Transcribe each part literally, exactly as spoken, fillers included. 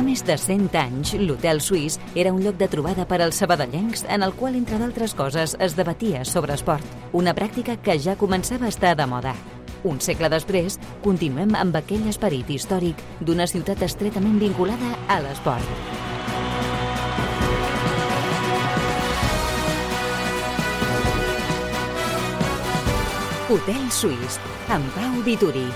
més de cent anys, l'Hotel Suís era un lloc de trobada per als sabadellencs en el qual, entre d'altres coses, es debatia sobre esport, una pràctica que ja començava a estar de moda. Un segle després, continuem amb aquell esperit històric d'una ciutat estretament vinculada a l'esport. Hotel Suís, amb Pau Vituri.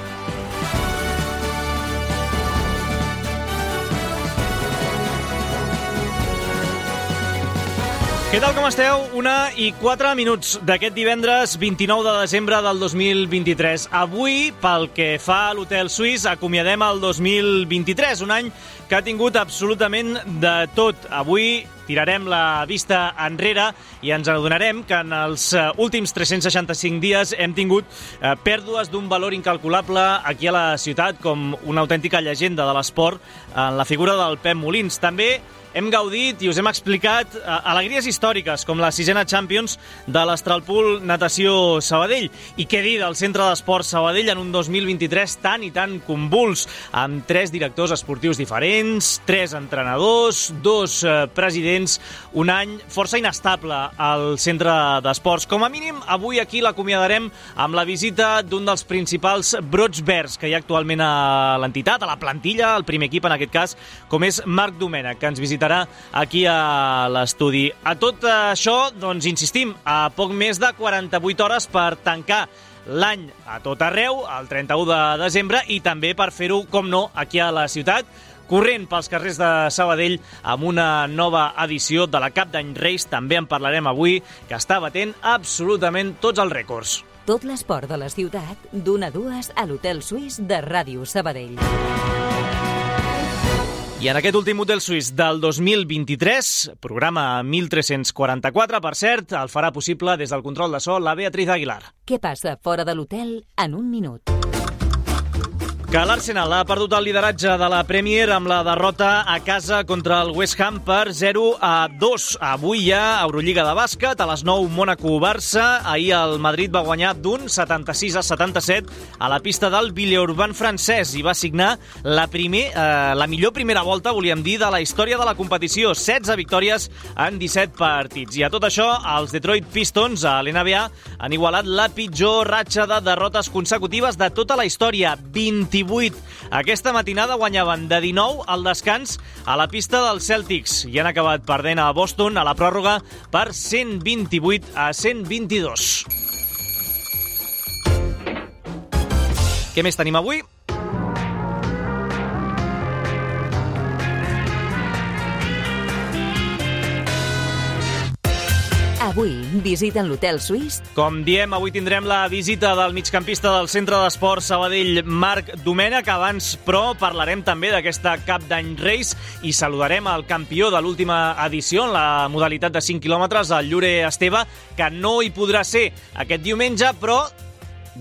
Què tal, com esteu? Una i quatre minuts d'aquest divendres vint-i-nou de desembre del dos mil vint-i-tres. Avui, pel que fa a l'Hotel Suís, acomiadem el dos mil vint-i-tres, un any que ha tingut absolutament de tot. Avui tirarem la vista enrere i ens adonarem que en els últims tres-cents seixanta-cinc dies hem tingut eh, pèrdues d'un valor incalculable aquí a la ciutat, com una autèntica llegenda de l'esport en la figura del Pep Molins. També hem gaudit i us hem explicat eh, alegries històriques, com la sisena Champions de l'Astralpool Natació Sabadell. I què dir del Centre d'Esports Sabadell en un dos mil vint-i-tres tan i tan convuls, amb tres directors esportius diferents, tres entrenadors, dos eh, presidents, un any força inestable al Centre d'Esports. Com a mínim, avui aquí l'acomiadarem amb la visita d'un dels principals brots verds que hi ha actualment a l'entitat, a la plantilla, al primer equip en aquest cas, com és Marc Domènech, que ens visita aquí a l'estudi. A tot això, doncs, insistim, a poc més de quaranta-vuit hores per tancar l'any a tot arreu, el trenta-u de desembre, i també per fer-ho, com no, aquí a la ciutat, corrent pels carrers de Sabadell amb una nova edició de la Cap d'Any Reis. També en parlarem avui, que està batent absolutament tots els rècords. Tot l'esport de la ciutat, d'una a dues a l'Hotel Suís de Ràdio Sabadell. I en aquest últim Hotel Suís del dos mil vint-i-tres, programa mil tres-cents quaranta-quatre, per cert, el farà possible des del control de so la Beatriz Aguilar. Què passa fora de l'hotel en un minut? Que l'Arsenal ha perdut el lideratge de la Premier amb la derrota a casa contra el West Ham per zero a dos. Avui hi ha Eurolliga de bàsquet, a les nou Mònaco-Barça. Ahir el Madrid va guanyar d'un setanta-sis a setanta-set a la pista del Villeurbanne francès i va signar la, primer, eh, la millor primera volta, volíem dir, de la història de la competició. setze victòries en disset partits. I a tot això, els Detroit Pistons a l'N B A han igualat la pitjor ratxa de derrotes consecutives de tota la història, vint-i-vuit. Aquesta matinada guanyaven de dinou al descans a la pista dels Celtics i han acabat perdent a Boston a la pròrroga per cent vint-i-vuit a cent vint-i-dos. Què més tenim avui? Avui visiten l'Hotel Suís. Com diem, avui tindrem la visita del migcampista del Centre d'Esports Sabadell, Marc Domènech. Abans, però, parlarem també d'aquesta Cap d'Any Reis i saludarem el campió de l'última edició en la modalitat de cinc quilòmetres, el Llure Esteve, que no hi podrà ser aquest diumenge, però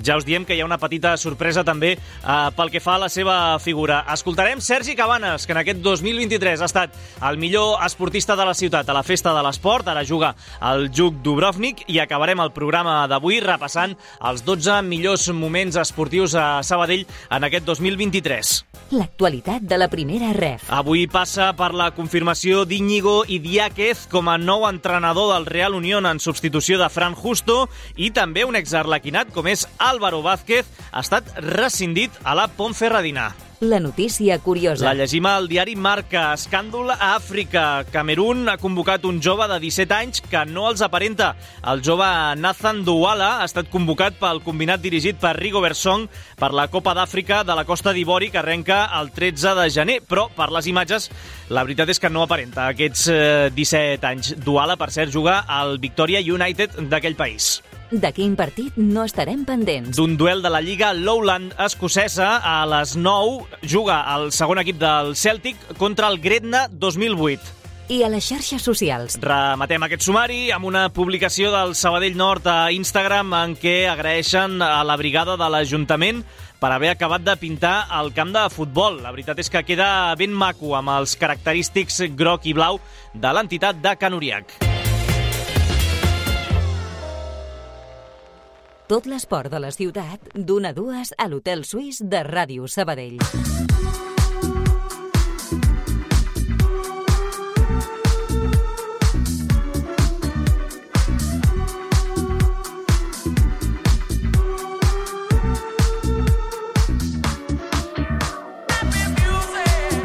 ja us diem que hi ha una petita sorpresa també eh, pel que fa a la seva figura. Escoltarem Sergi Cabanes, que en aquest dos mil vint-i-tres ha estat el millor esportista de la ciutat a la Festa de l'Esport, ara juga al Juk Dubrovnik, i acabarem el programa d'avui repassant els dotze millors moments esportius a Sabadell en aquest dos mil vint-i-tres. L'actualitat de la primera ref. Avui passa per la confirmació d'Íñigo Idiáquez com a nou entrenador del Real Unión en substitució de Fran Justo, i també un exarlequinat com és Álvaro Vázquez ha estat rescindit a la Ponferradina. La notícia curiosa. La llegim al diari Marca. Escàndol a Àfrica. Camerun ha convocat un jove de disset anys que no els aparenta. El jove Nathan Douala ha estat convocat pel combinat dirigit per Rigobert Song per la Copa d'Àfrica de la Costa d'Ivori, que arrenca el tretze de gener. Però, per les imatges, la veritat és que no aparenta aquests eh, disset anys. Douala, per cert, juga al Victoria United d'aquell país. De quin partit no estarem pendents? D'un duel de la Lliga Lowland escocesa. A les nou juga el segon equip del Celtic contra el Gretna dos mil vuit. I a les xarxes socials. Rematem aquest sumari amb una publicació del Sabadell Nord a Instagram en què agraeixen a la brigada de l'Ajuntament per haver acabat de pintar el camp de futbol. La veritat és que queda ben maco amb els característics groc i blau de l'entitat de Can Uriac. Tot l'esport de la ciutat, d'una a dues a l'Hotel Suís de Ràdio Sabadell.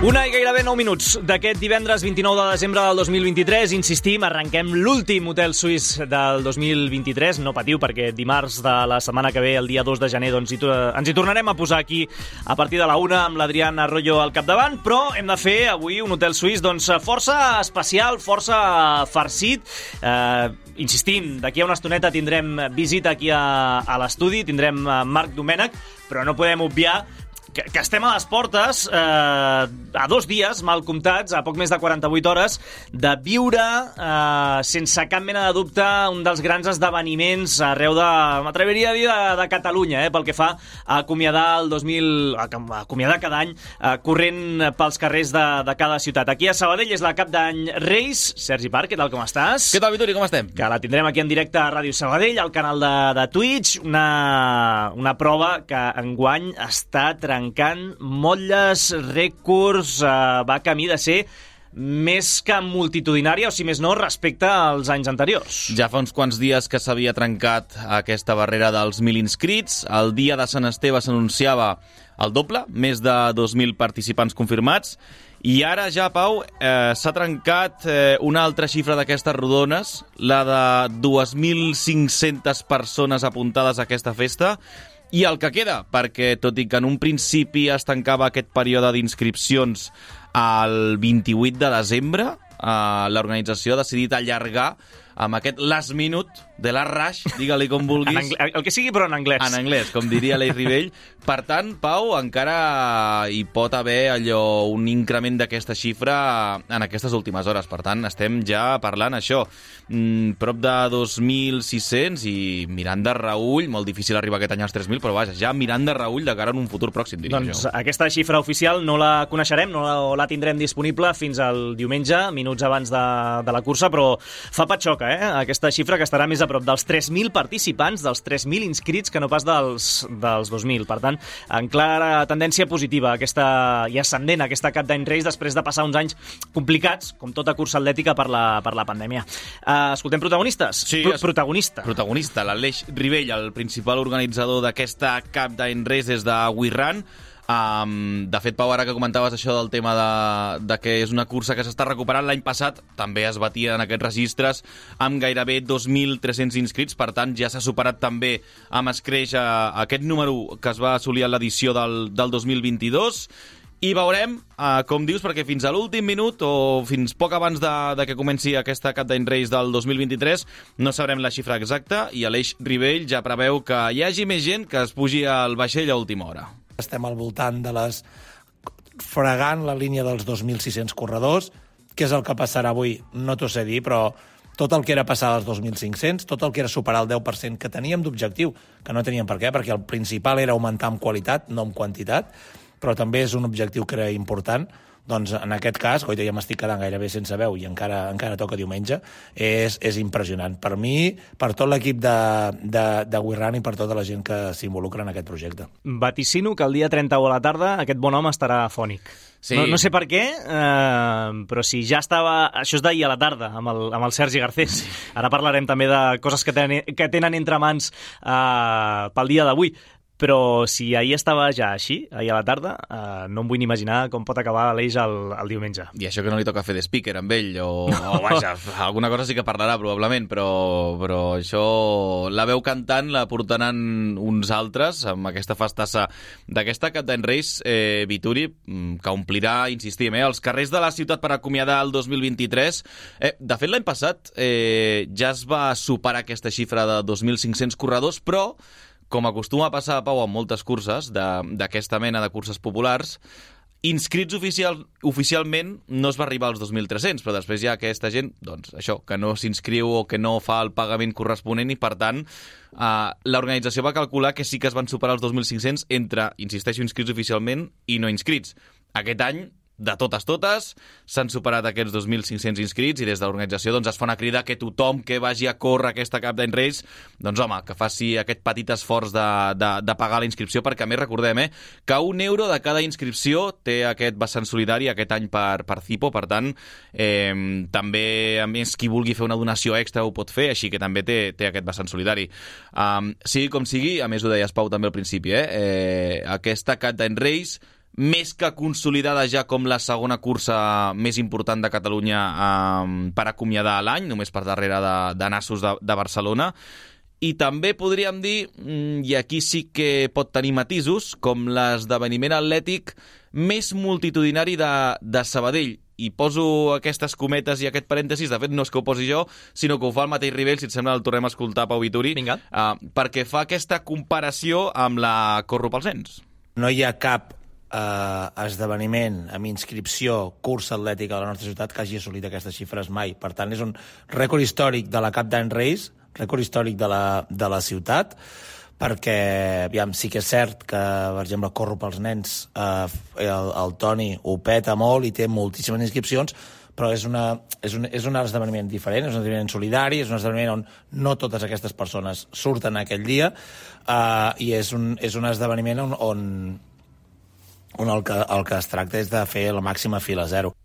Una i gairebé nou minuts d'aquest divendres vint-i-nou de desembre del dos mil vint-i-tres. Insistim, arrenquem l'últim hotel suís del dos mil vint-i-tres. No patiu, perquè dimarts de la setmana que ve, el dia dos de gener, doncs, hi, ens hi tornarem a posar aquí a partir de la una amb l'Adrián Arroyo al capdavant, però hem de fer avui un hotel suís doncs, força especial, força farcit. Eh, insistim, d'aquí a una estoneta tindrem visita aquí a, a l'estudi, tindrem Marc Domènech, però no podem obviar que, que estem a les portes, eh, a dos dies, mal comptats, a poc més de quaranta-vuit hores, de viure, eh, sense cap mena de dubte, un dels grans esdeveniments arreu de, m'atreviria a dir, de, de Catalunya, eh, pel que fa a acomiadar el dos mil... a acomiadar cada any, eh, corrent pels carrers de, de cada ciutat. Aquí a Sabadell és la cap d'any Reis. Sergi Parc, què tal, com estàs? Què tal, Vituri, com estem? Que la tindrem aquí en directe a Ràdio Sabadell, al canal de, de Twitch, una, una prova que enguany està trencant motlles, rècords, eh, va camí de ser més que multitudinària, o si més no, respecte als anys anteriors. Ja fa uns quants dies que s'havia trencat aquesta barrera dels mil inscrits. El dia de Sant Esteve s'anunciava el doble, més de dos mil participants confirmats. I ara ja, Pau, eh, s'ha trencat eh, una altra xifra d'aquestes rodones, la de dos mil cinc-centes persones apuntades a aquesta festa. I el que queda, perquè tot i que en un principi es tancava aquest període d'inscripcions el vint-i-vuit de desembre, eh, l'organització ha decidit allargar amb aquest last minute de la rush, digue-li com vulguis. El que sigui, però en anglès. En anglès, com diria l'Eix Rivell. Per tant, Pau, encara hi pot haver allò un increment d'aquesta xifra en aquestes últimes hores. Per tant, estem ja parlant això. Mm, prop de dos mil sis-cents i mirant de reüll, molt difícil arribar aquest any als tres mil, però vaja, ja mirant de reüll de cara en un futur pròxim, diria doncs, jo. Aquesta xifra oficial no la coneixerem, no la, la tindrem disponible fins al diumenge, minuts abans de, de la cursa, però fa patxoca, eh? Aquesta xifra que estarà més a prop dels tres mil participants, dels tres mil inscrits, que no pas dels, dels dos mil. Per tant, en clara tendència positiva aquesta, i ascendent aquesta cap d'any Reis després de passar uns anys complicats, com tota cursa atlètica, per la, per la pandèmia. Uh, escoltem protagonistes? Sí, Pro protagonista. Protagonista, l'Aleix Rivell, el principal organitzador d'aquesta cap d'any Reis des de WeRun. Um, de fet, Pau, ara que comentaves això del tema de, de que és una cursa que s'està recuperant, l'any passat també es batia en aquests registres amb gairebé dos mil tres-cents inscrits, per tant ja s'ha superat també amb escreix a, a aquest número que es va assolir a l'edició del, del dos mil vint-i-dos. I veurem, eh, com dius, perquè fins a l'últim minut o fins poc abans de, de que comenci aquesta cap d'any Reis del dos mil vint-i-tres no sabrem la xifra exacta, i Aleix Rivell ja preveu que hi hagi més gent que es pugi al vaixell a última hora. Estem al voltant de les... fregant la línia dels dos mil sis-cents corredors. Què és el que passarà avui? No t'ho sé dir, però tot el que era passar als dos mil cinc-cents, tot el que era superar el deu per cent que teníem d'objectiu, que no teníem per què, perquè el principal era augmentar en qualitat, no en quantitat, però també és un objectiu que era important. Doncs en aquest cas, coi, ja m'estic quedant gairebé sense veu i encara encara toca diumenge, és, és impressionant. Per mi, per tot l'equip de, de, de WeRun i per tota la gent que s'involucra en aquest projecte. Vaticino que el dia trenta o a la tarda aquest bon home estarà fònic. Sí. No, no sé per què, eh, però si ja estava... Això és d'ahir a la tarda, amb el, amb el Sergi Garcés. Sí. Ara parlarem també de coses que tenen, que tenen entre mans eh, pel dia d'avui. Però si ahir estava ja així, ahir a la tarda, eh, no em vull ni imaginar com pot acabar l'Eix el, el diumenge. I això que no li toca fer de speaker amb ell, o, no. o vaja, alguna cosa sí que parlarà probablement, però, però això, la veu cantant la portaran uns altres amb aquesta festassa d'aquesta cap d'any Reis, eh, Vituri, que omplirà, insistim, eh, els carrers de la ciutat per acomiadar el dos mil vint-i-tres. Eh, de fet, l'any passat eh, ja es va superar aquesta xifra de dos mil cinc-cents corredors, però com acostuma a passar, Pau, amb moltes curses d'aquesta mena de curses populars, inscrits oficial, oficialment no es va arribar als dos mil tres-cents, però després hi ha aquesta gent, doncs, això, que no s'inscriu o que no fa el pagament corresponent i, per tant, eh, l'organització va calcular que sí que es van superar els dos mil cinc-cents entre, insisteixo, inscrits oficialment i no inscrits. Aquest any, de totes totes, s'han superat aquests dos mil cinc-cents inscrits i des de l'organització doncs, es fa una crida que tothom que vagi a córrer aquesta cap d'any Reis, doncs home, que faci aquest petit esforç de, de, de pagar la inscripció, perquè a més recordem eh, que un euro de cada inscripció té aquest vessant solidari aquest any per, per Cipo, per tant eh, també a més qui vulgui fer una donació extra ho pot fer, així que també té, té aquest vessant solidari. Um, sigui com sigui, a més ho deies Pau també al principi, eh, eh, aquesta cap d'any Reis més que consolidada ja com la segona cursa més important de Catalunya eh, per acomiadar l'any, només per darrere de, de Nassos de, de Barcelona. I també podríem dir, i aquí sí que pot tenir matisos, com l'esdeveniment atlètic més multitudinari de, de Sabadell. I poso aquestes cometes i aquest parèntesis, de fet no és que ho posi jo, sinó que ho fa el mateix Ribell, si et sembla el tornem a escoltar, Pau Vituri, Vinga. Uh, perquè fa aquesta comparació amb la Corro pels nens. No hi ha cap eh, esdeveniment amb inscripció cursa atlètica a la nostra ciutat que hagi assolit aquestes xifres mai. Per tant, és un rècord històric de la Cap d'Any Reis, rècord històric de la, de la ciutat, perquè aviam, sí que és cert que, per exemple, Corro pels nens, eh, el, el Toni ho peta molt i té moltíssimes inscripcions, però és, una, és, un, és un esdeveniment diferent, és un esdeveniment solidari, és un esdeveniment on no totes aquestes persones surten aquell dia, eh, i és un, és un esdeveniment on, on, on el, que, el que es tracta és de fer la màxima fila zero.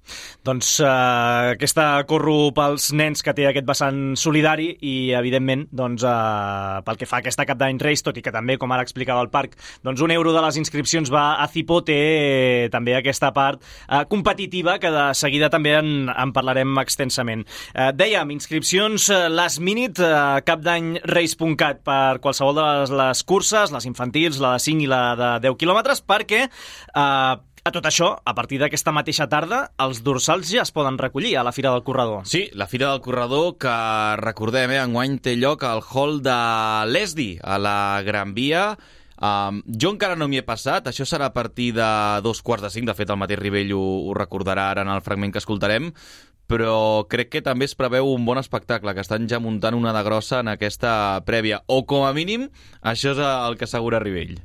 Doncs uh, aquesta Corro pels nens que té aquest vessant solidari i, evidentment, doncs, uh, pel que fa a aquesta Cap d'Any Reis, tot i que també, com ara explicava el Parc, doncs un euro de les inscripcions va a Cipo, té eh, també aquesta part uh, competitiva que de seguida també en, en parlarem extensament. Uh, dèiem, inscripcions uh, last minute, uh, capdanyreis punt cat per qualsevol de les, les curses, les infantils, la de cinc i la de deu quilòmetres, perquè uh, a tot això, a partir d'aquesta mateixa tarda, els dorsals ja es poden recollir a la Fira del Corredor. Sí, la Fira del Corredor, que recordem, eh, enguany té lloc al hall de l'E S D I, a la Gran Via. Um, jo encara no m'hi he passat, això serà a partir de dos quarts de cinc, de fet el mateix Ribell ho, ho recordarà ara en el fragment que escoltarem, però crec que també es preveu un bon espectacle, que estan ja muntant una de grossa en aquesta prèvia, o com a mínim, això és el que assegura Ribell.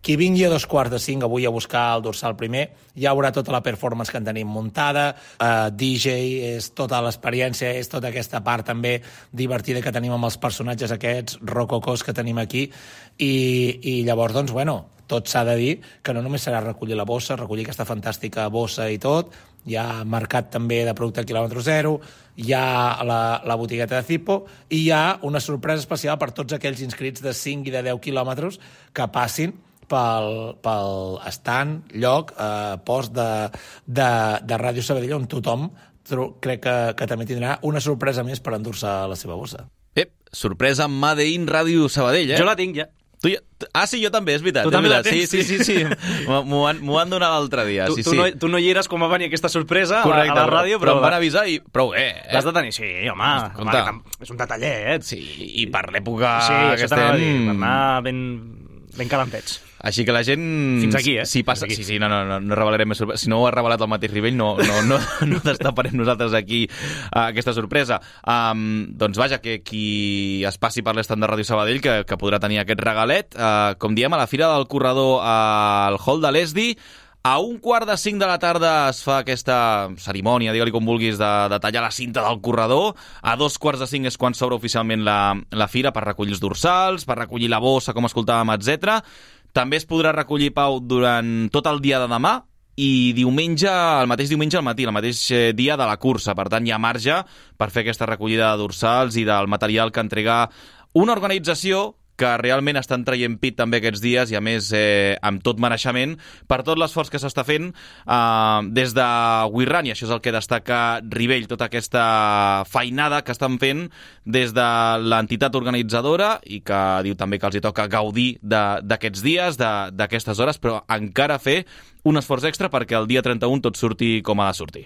Qui vingui a dos quarts de cinc avui a buscar el dorsal primer, ja haurà tota la performance que en tenim muntada, uh, D J, és tota l'experiència, és tota aquesta part també divertida que tenim amb els personatges aquests rococós que tenim aquí, i, i llavors, doncs, bueno, tot s'ha de dir que no només serà recollir la bossa, recollir aquesta fantàstica bossa i tot, hi ha mercat també de producte quilòmetre zero, hi ha la, la botigueta de Cipo, i hi ha una sorpresa especial per tots aquells inscrits de cinc i de deu quilòmetres que passin pel, pel stand, lloc, eh, post de, de, de Ràdio Sabadell, on tothom crec que, que també tindrà una sorpresa més per endur-se la seva bossa. Ep, sorpresa amb Made in Ràdio Sabadell, eh? Jo la tinc, ja. Tu ja... Ah, sí, jo també, és veritat. Tu també la tens? Sí, sí, sí, sí. M'ho han, han donat l'altre dia. Tu, sí, tu, sí. no, tu no hi eres quan va venir aquesta sorpresa. Correcte, a la, a la ràdio, però... però em van avisar i prou bé, eh? L'has de tenir, sí, home. Compte. home és un detallet. Sí, i per l'època sí, que estem... estem... Dir, per anar ben, ben calentets. Així que la gent... Fins aquí, eh? Si passa... Aquí. Sí, sí, no, no, no, no revelarem més sorpresa. Si no ho ha revelat el mateix Ribell, no, no, no, no destaparem nosaltres aquí uh, aquesta sorpresa. Um, doncs vaja, que qui es passi per l'estand de Ràdio Sabadell, que, que podrà tenir aquest regalet, uh, com diem, a la Fira del Corredor al hall de l'E S D I, a un quart de cinc de la tarda es fa aquesta cerimònia, digue-li com vulguis, de, de tallar la cinta del corredor. A dos quarts de cinc és quan s'obre oficialment la, la fira per recollir els dorsals, per recollir la bossa, com escoltàvem, etcètera. També es podrà recollir, Pau, durant tot el dia de demà i diumenge, el mateix diumenge al matí, el mateix dia de la cursa. Per tant, hi ha marge per fer aquesta recollida de dorsals i del material que entrega una organització que realment estan traient pit també aquests dies i, a més, eh, amb tot mereixement per tot l'esforç que s'està fent eh, des de WeRun, i això és el que destaca Ribell, tota aquesta feinada que estan fent des de l'entitat organitzadora i que diu també que els hi toca gaudir d'aquests dies, d'aquestes hores, però encara fer un esforç extra perquè el dia trenta-un tot surti com ha de sortir.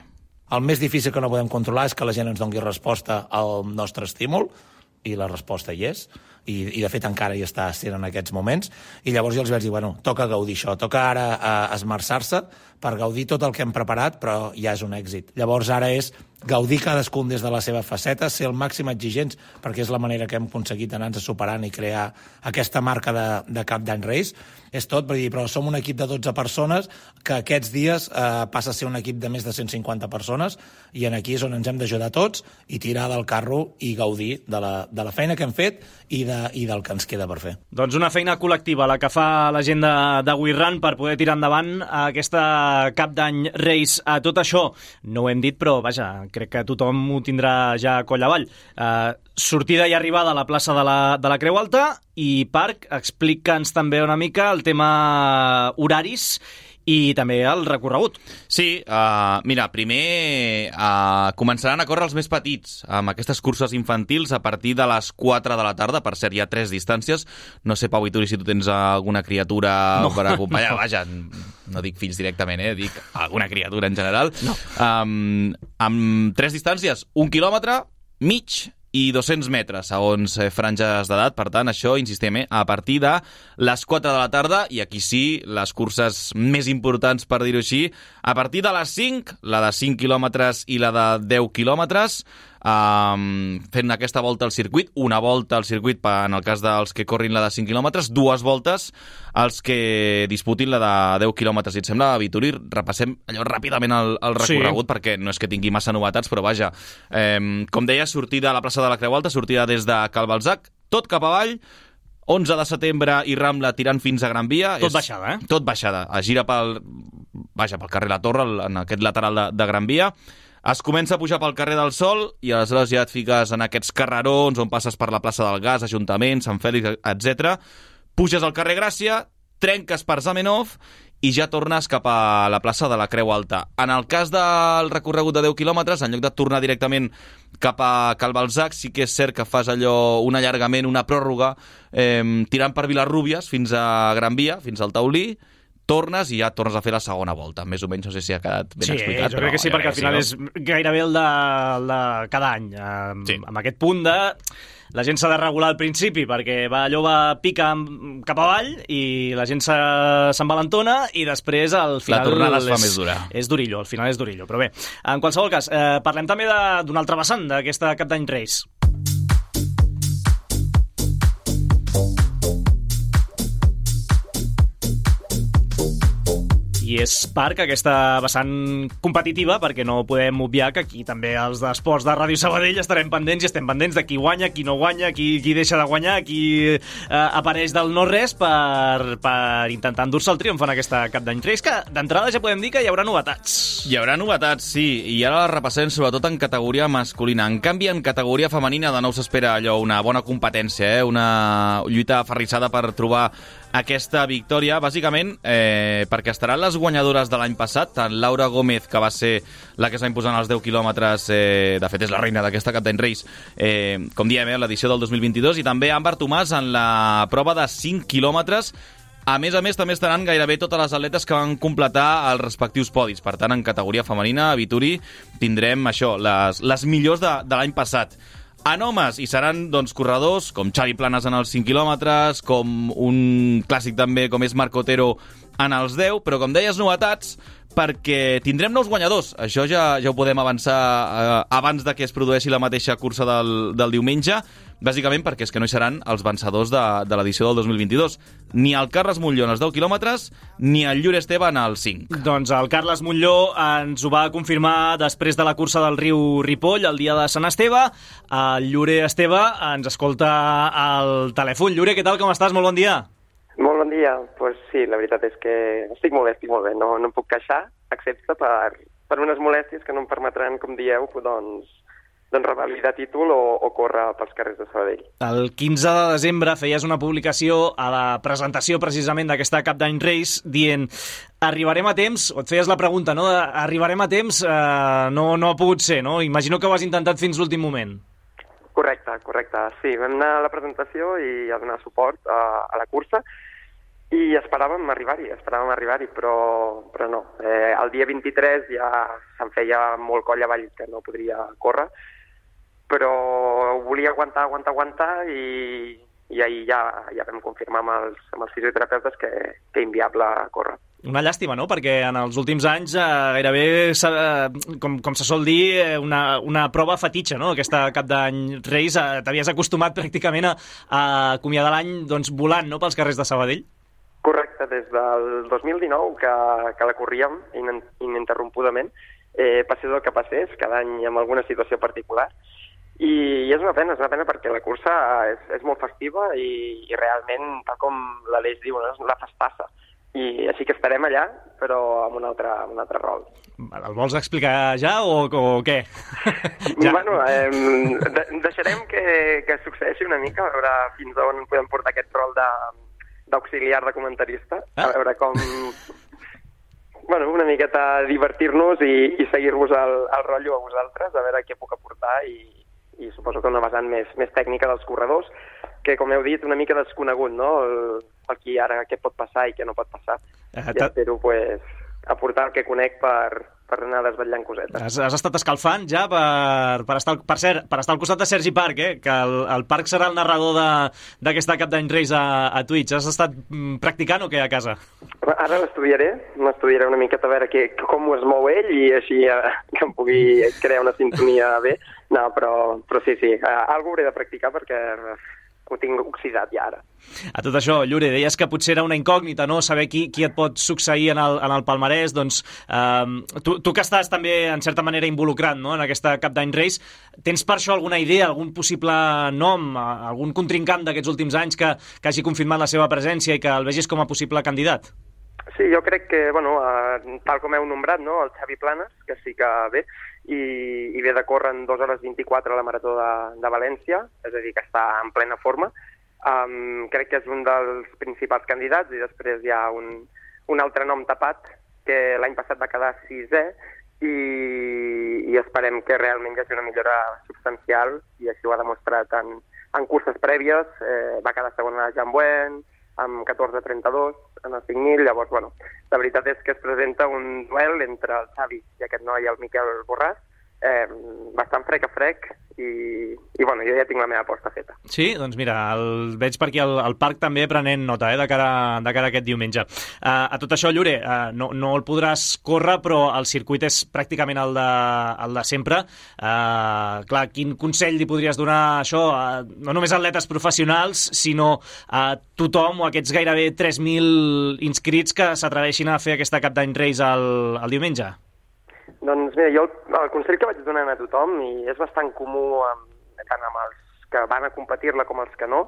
El més difícil que no podem controlar és que la gent ens doni resposta al nostre estímul, i la resposta hi és, i, i de fet encara hi està sent en aquests moments, i llavors jo els vaig dir, bueno, toca gaudir això, toca ara eh, esmerçar-se per gaudir tot el que hem preparat, però ja és un èxit. Llavors ara és gaudir cadascun des de la seva faceta, ser el màxim exigents, perquè és la manera que hem aconseguit anar-nos superant i crear aquesta marca de, de Cap d'Any Reis. És tot, per dir, però som un equip de dotze persones que aquests dies eh, passa a ser un equip de més de cent cinquanta persones, i en aquí és on ens hem d'ajudar tots i tirar del carro i gaudir de la, de la feina que hem fet i de de, i del que ens queda per fer. Doncs una feina col·lectiva, la que fa la gent de, de We Run per poder tirar endavant aquesta cap d'any Race. A tot això, no ho hem dit, però vaja, crec que tothom ho tindrà ja a coll avall. Uh, sortida i arribada a la plaça de la, de la Creu Alta i Parc, explica'ns també una mica el tema horaris i també el recorregut. Sí, uh, mira, primer uh, començaran a córrer els més petits amb aquestes curses infantils a partir de les quatre de la tarda. Per cert, hi ha tres distàncies. No sé, Pau Vituri, si tu tens alguna criatura no, per acompanyar. No. Vaja, no dic fills directament, eh? Dic alguna criatura en general. No. Um, amb tres distàncies, un quilòmetre, mig i dos-cents metres, segons eh, franges d'edat. Per tant, això, insistim, eh, a partir de les quatre de la tarda, i aquí sí, les curses més importants, per dir-ho així, a partir de les cinc, la de cinc quilòmetres i la de deu quilòmetres, Um, fent aquesta volta al circuit, una volta al circuit en el cas dels que corrin la de cinc quilòmetres, dues voltes als que disputin la de deu quilòmetres. I et sembla, Vituri, repassem allò ràpidament el, el recorregut, sí, perquè no és que tingui massa novetats, però vaja, eh, com deia, sortida a la plaça de la Creu Alta, sortida des de Cal Balzac, tot cap avall, onze de setembre i Rambla tirant fins a Gran Via. Tot és, baixada, eh? Tot baixada. Es gira pel, vaja, pel carrer La Torre, en aquest lateral de, de Gran Via. Es comença a pujar pel carrer del Sol i aleshores ja et fiques en aquests carrerons on passes per la plaça del Gas, Ajuntament, Sant Fèlix, etcètera. Puges al carrer Gràcia, trenques per Zamenhof i ja tornes cap a la plaça de la Creu Alta. En el cas del recorregut de deu quilòmetres, en lloc de tornar directament cap a Cal Balzac, sí que és cert que fas allò, un allargament, una pròrroga, eh, tirant per Vilarrúbies fins a Gran Via, fins al Taulí, tornes i ja tornes a fer la segona volta. Més o menys, no sé si ha quedat ben sí, explicat. Sí, jo crec que sí, perquè al final és gairebé el de, el de cada any. Amb, sí. amb aquest punt de... La gent s'ha de regular al principi perquè va, allò va pica cap avall i la gent s'envalentona i després al final... La tornada es fa és, més dura. És durillo, al final és durillo. Però bé, en qualsevol cas, eh, parlem també d'un altre vessant d'aquesta Cap d'Any Race. I és Parc, aquesta vessant competitiva, perquè no podem obviar que aquí també els d'esports de Ràdio Sabadell estarem pendents i estem pendents de qui guanya, qui no guanya, qui, qui deixa de guanyar, qui eh, apareix del no-res per, per intentar endur-se el triomf en aquesta Cap d'Any Race, que d'entrada ja podem dir que hi haurà novetats. Hi haurà novetats, sí, i ara les repassem sobretot en categoria masculina. En canvi, en categoria femenina de nou s'espera allò, una bona competència, eh? Una lluita aferrissada per trobar aquesta victòria, bàsicament eh, perquè estaran les guanyadores de l'any passat, tant Laura Gómez, que va ser la que es va imposar en els deu quilòmetres, eh, de fet és la reina d'aquesta Cap d'Any Race, eh, com diem, eh, l'edició del dos mil vint-i-dos, i també Àmbar Tomàs en la prova de cinc quilòmetres. A més a més, també estaran gairebé totes les atletes que van completar els respectius podis. Per tant, en categoria femenina, a Vituri, tindrem això, les, les millors de, de l'any passat. En homes hi seran doncs, corredors com Xavi Planes en els cinc quilòmetres, com un clàssic també com és Marc Otero en els deu, però com deies, novetats, perquè tindrem nous guanyadors. Això ja, ja ho podem avançar eh, abans de que es produeixi la mateixa cursa del, del diumenge, bàsicament perquè és que no hi seran els vencedors de, de l'edició del dos mil vint-i-dos. Ni el Carles Montlló en els deu quilòmetres, ni el Llur Esteve en els cinc. Doncs el Carles Montlló ens ho va confirmar després de la cursa del riu Ripoll, el dia de Sant Esteve. El Llure Esteve ens escolta al telèfon. Llure, què tal, com estàs? Molt bon dia. Molt bon dia. Pues sí, la veritat és que estic molt bé, estic molt bé. No, no em puc queixar, excepte per, per unes molèsties que no em permetran, com dieu, doncs, doncs revalidar títol o, o córrer pels carrers de Sabadell. El quinze de desembre feies una publicació a la presentació precisament d'aquesta Cap d'Any Race dient arribarem a temps, o et feies la pregunta, no? Arribarem a temps, eh, no, no ha pogut ser, no? Imagino que ho has intentat fins l'últim moment. Correcte, correcte. Sí, vam anar a la presentació i a donar suport a, a la cursa i esperàvem arribar-hi, esperàvem arribar-hi, però, però no. Eh, el dia vint-i-tres ja se'm feia molt coll avall que no podria córrer, però volia aguantar, aguantar, aguantar i, i ahir ja, ja vam confirmar amb els, amb els fisioterapeutes que, que inviable córrer. Una llàstima, no?, perquè en els últims anys eh, gairebé, eh, com, com se sol dir, eh, una, una prova fetitxa, no?, aquesta Cap d'Any Race. Eh, t'havies acostumat pràcticament a, a acomiadar l'any doncs, volant, no?, pels carrers de Sabadell. Correcte, des del dos mil dinou que, que la corríem ininterrompudament, eh, passés el que passés, cada any amb alguna situació particular, I, i és una pena, és una pena perquè la cursa és, és molt festiva i, i realment, tal com l'Aleix diu, no? És la festassa. I així que estarem allà, però amb un altre, amb un altre rol. El vols explicar ja o, o què? ja. Bueno, eh, de, deixarem que, que succeeixi una mica, a veure fins on podem portar aquest rol de, d'auxiliar de comentarista, ah. a veure com... Bueno, una miqueta divertir-nos i, i seguir-vos el, el rotllo a vosaltres, a veure què puc aportar i, i suposo que una vessant més, més tècnica dels corredors, que, com heu dit, una mica desconegut, no?, el, el qui ara què pot passar i què no pot passar. Uh, I espero, pues, aportar el que conec per, per anar desvetllant cosetes. Has, has estat escalfant ja per, per, estar, per, ser, per estar al costat de Sergi Parc, eh? Que el, el Parc serà el narrador d'aquesta Cap d'Any Reis a, a Twitch. Has estat mm, practicant o què a casa? Ara l'estudiaré, m'estudiaré una miqueta a veure que, com es mou ell i així eh, que em pugui crear una sintonia bé. No, però, però sí, sí, eh, algo hauré de practicar perquè ho tinc oxidat ja ara. A tot això, Llure, deies que potser era una incògnita, no?, saber qui, qui et pot succeir en el, en el palmarès, doncs eh, tu, tu que estàs també en certa manera involucrat, no?, en aquesta Cap d'Any Reis, tens per això alguna idea, algun possible nom, algun contrincant d'aquests últims anys que, que hagi confirmat la seva presència i que el vegis com a possible candidat? Sí, jo crec que, bueno, eh, tal com heu nombrat, no?, el Xavi Planes, que sí que ve, i, i ve de córrer en dos hores vint-i-quatre a la Marató de, de València, és a dir, que està en plena forma. Um, crec que és un dels principals candidats, i després hi ha un, un altre nom tapat, que l'any passat va quedar sisè, i, i esperem que realment hi hagi una millora substancial, i així ho ha demostrat en, en curses prèvies. Eh, va quedar segona a Jambuen, amb catorze trenta-dos en el cinc mil, llavors, bueno, la veritat és que es presenta un duel entre el Xavi i aquest noi, el Miquel Borràs, eh, bastant frec a frec, i, i bueno, jo ja tinc la meva aposta feta. Sí? Doncs mira, el veig per aquí al, al parc també prenent nota, eh, de cara, de cara a aquest diumenge. Uh, a tot això, Llure, uh, no, no el podràs córrer, però el circuit és pràcticament el de, el de sempre. Uh, clar, quin consell li podries donar a això, uh, no només a atletes professionals, sinó a tothom o aquests gairebé tres mil inscrits que s'atreveixin a fer aquesta Cap d'Any Reis el, el diumenge? Doncs mira, jo el, el consell que vaig donant a tothom, i és bastant comú amb, tant amb els que van a competir-la com els que no,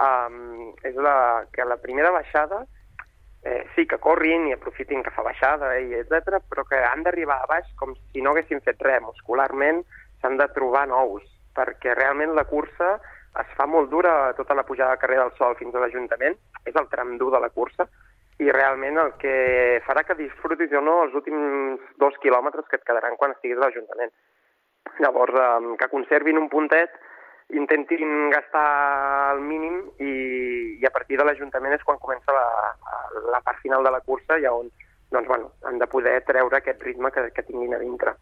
um, és la, que la primera baixada eh, sí que corrin i aprofitin que fa baixada, i etcètera, però que han d'arribar a baix com si no haguessin fet res. Muscularment s'han de trobar nous, perquè realment la cursa es fa molt dura, tota la pujada del carrer del Sol fins a l'Ajuntament, és el tram dur de la cursa, i realment el que farà que disfrutis o no els últims dos quilòmetres que et quedaran quan estiguis a l'Ajuntament. Llavors, eh, que conservin un puntet, intentin gastar el mínim, i, i a partir de l'Ajuntament és quan comença la, la part final de la cursa, i on doncs, bueno, han de poder treure aquest ritme que, que tinguin a dintre.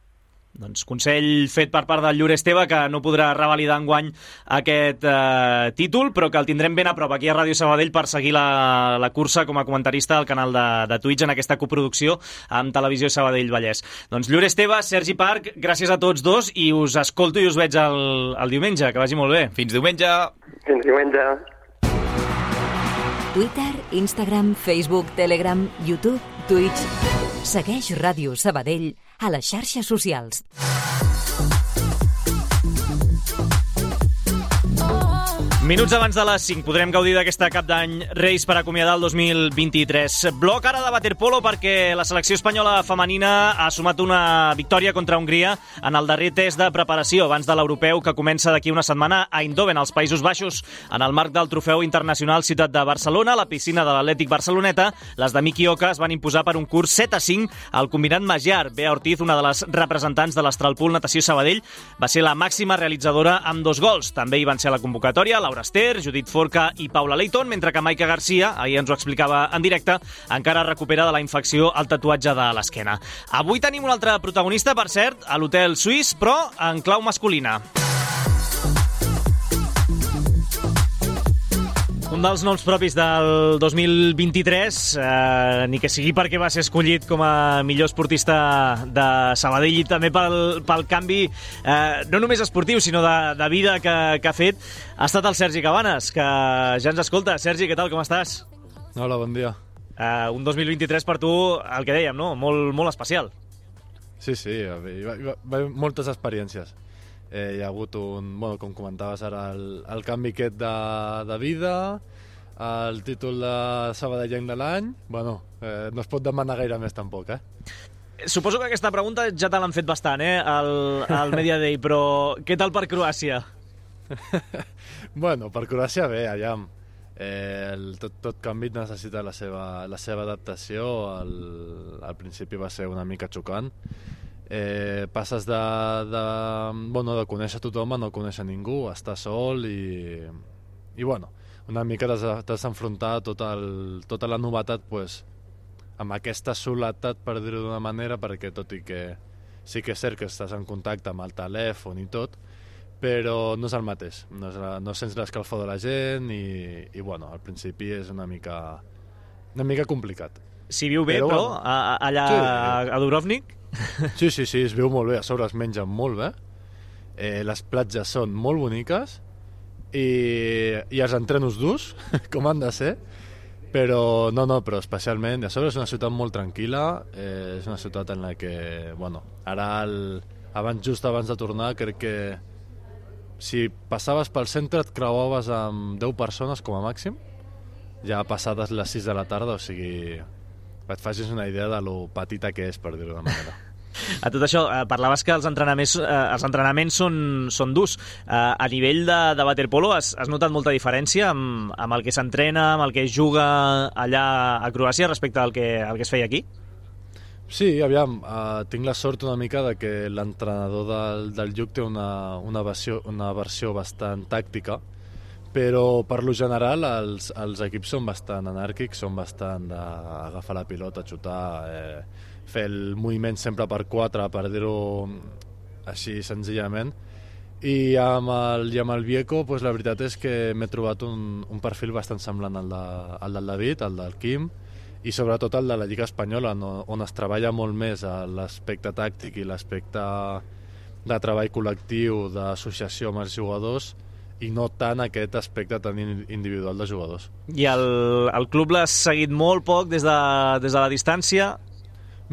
Doncs consell fet per part del Llure Esteve, que no podrà revalidar enguany aquest eh, títol, però que el tindrem ben a prop aquí a Ràdio Sabadell per seguir la, la cursa com a comentarista al canal de, de Twitch en aquesta coproducció amb Televisió Sabadell Vallès. Doncs Llure Esteve, Sergi Parc, gràcies a tots dos, i us escolto i us veig el, el diumenge. Que vagi molt bé. Fins diumenge. Fins diumenge. Twitter, Instagram, Facebook, Telegram, YouTube, Twitch. Segueix Ràdio Sabadell a les xarxes socials. Minuts abans de les cinc podrem gaudir d'aquesta Cap d'Any Reis per acomiadar el dos mil vint-i-tres. Bloc ara de waterpolo, perquè la selecció espanyola femenina ha sumat una victòria contra Hongria en el darrer test de preparació abans de l'europeu que comença d'aquí una setmana a Eindhoven, als Països Baixos. En el marc del trofeu internacional Ciutat de Barcelona, a la piscina de l'Atlètic Barceloneta, les de Miki Oka es van imposar per un curs set a cinc al combinat Magyar. Bea Ortiz, una de les representants de l'Astralpool Natació Sabadell, va ser la màxima realitzadora amb dos gols. També hi van ser a la convocatòria Laura Ester, Judit Forca i Paula Leighton, mentre que Maica Garcia, ahir ens ho explicava en directe, encara recupera de la infecció al tatuatge de l'esquena. Avui tenim un altre protagonista, per cert, a l'Hotel Suís, però en clau masculina. Un dels noms propis del dos mil vint-i-tres, eh, ni que sigui perquè va ser escollit com a millor esportista de Sabadell i també pel, pel canvi, eh, no només esportiu, sinó de, de vida que, que ha fet, ha estat el Sergi Cabanes, que ja ens escolta. Sergi, què tal, com estàs? Hola, bon dia. Eh, un dos mil vint-i-tres per tu, el que dèiem, no? Molt, molt especial. Sí, sí, va, va, va, moltes experiències. eh, hi ha hagut un, bueno, com comentaves ara, el, el canvi aquest de, de vida, el títol de sabadellenc de l'any, bueno, eh, no es pot demanar gaire més tampoc, eh? Suposo que aquesta pregunta ja te l'han fet bastant, eh, al, al Media Day, però què tal per Croàcia? Bueno, per Croàcia bé, allà eh, el, tot, tot canvi necessita la seva, la seva adaptació. Al, al principi va ser una mica xocant. Eh, passes de, de, bueno, de conèixer tothom a no conèixer ningú, estar sol i, i bueno, una mica t'has d'enfrontar tota, el, tota la novetat pues, amb aquesta soledat, per dir-ho d'una manera, perquè tot i que sí que és cert que estàs en contacte amb el telèfon i tot, però no és el mateix, no, és la, no sents l'escalfor de la gent i, i bueno, al principi és una mica una mica complicat. S'hi viu bé, però, però bueno, a, allà sí, a Dubrovnik? Sí, sí, sí, es viu molt bé, a sobre es menja molt bé, eh, les platges són molt boniques i, i els entrenos durs, com han de ser, però no, no, però especialment, a sobre és una ciutat molt tranquil·la, eh, és una ciutat en la que, bueno, ara, el, abans, just abans de tornar, crec que si passaves pel centre et creuaves amb deu persones com a màxim, ja passades les sis de la tarda, o sigui, et facis una idea de lo petita que és, per dir-ho d'una manera. A tot això, eh, parlaves que els entrenaments, eh, els entrenaments són, són durs. Eh, a nivell de, de waterpolo has, has notat molta diferència amb, amb el que s'entrena, amb el que es juga allà a Croàcia respecte al que, al que es feia aquí? Sí, aviam, uh, tinc la sort una mica de que l'entrenador del, del Lluc té una, una, versió, una versió bastant tàctica, però per lo general els, els equips són bastant anàrquics, són bastant d'agafar la pilota, xutar, eh, fer el moviment sempre per quatre, per dir-ho així senzillament. I amb el, i amb el Vieco, pues, la veritat és que m'he trobat un, un perfil bastant semblant al, de, al del David, al del Quim, i sobretot el de la Lliga Espanyola, no, on es treballa molt més l'aspecte tàctic i l'aspecte de treball col·lectiu, d'associació amb els jugadors, i no tant aquest aspecte tan individual de jugadors. I el, el club l'has seguit molt poc des de, des de la distància?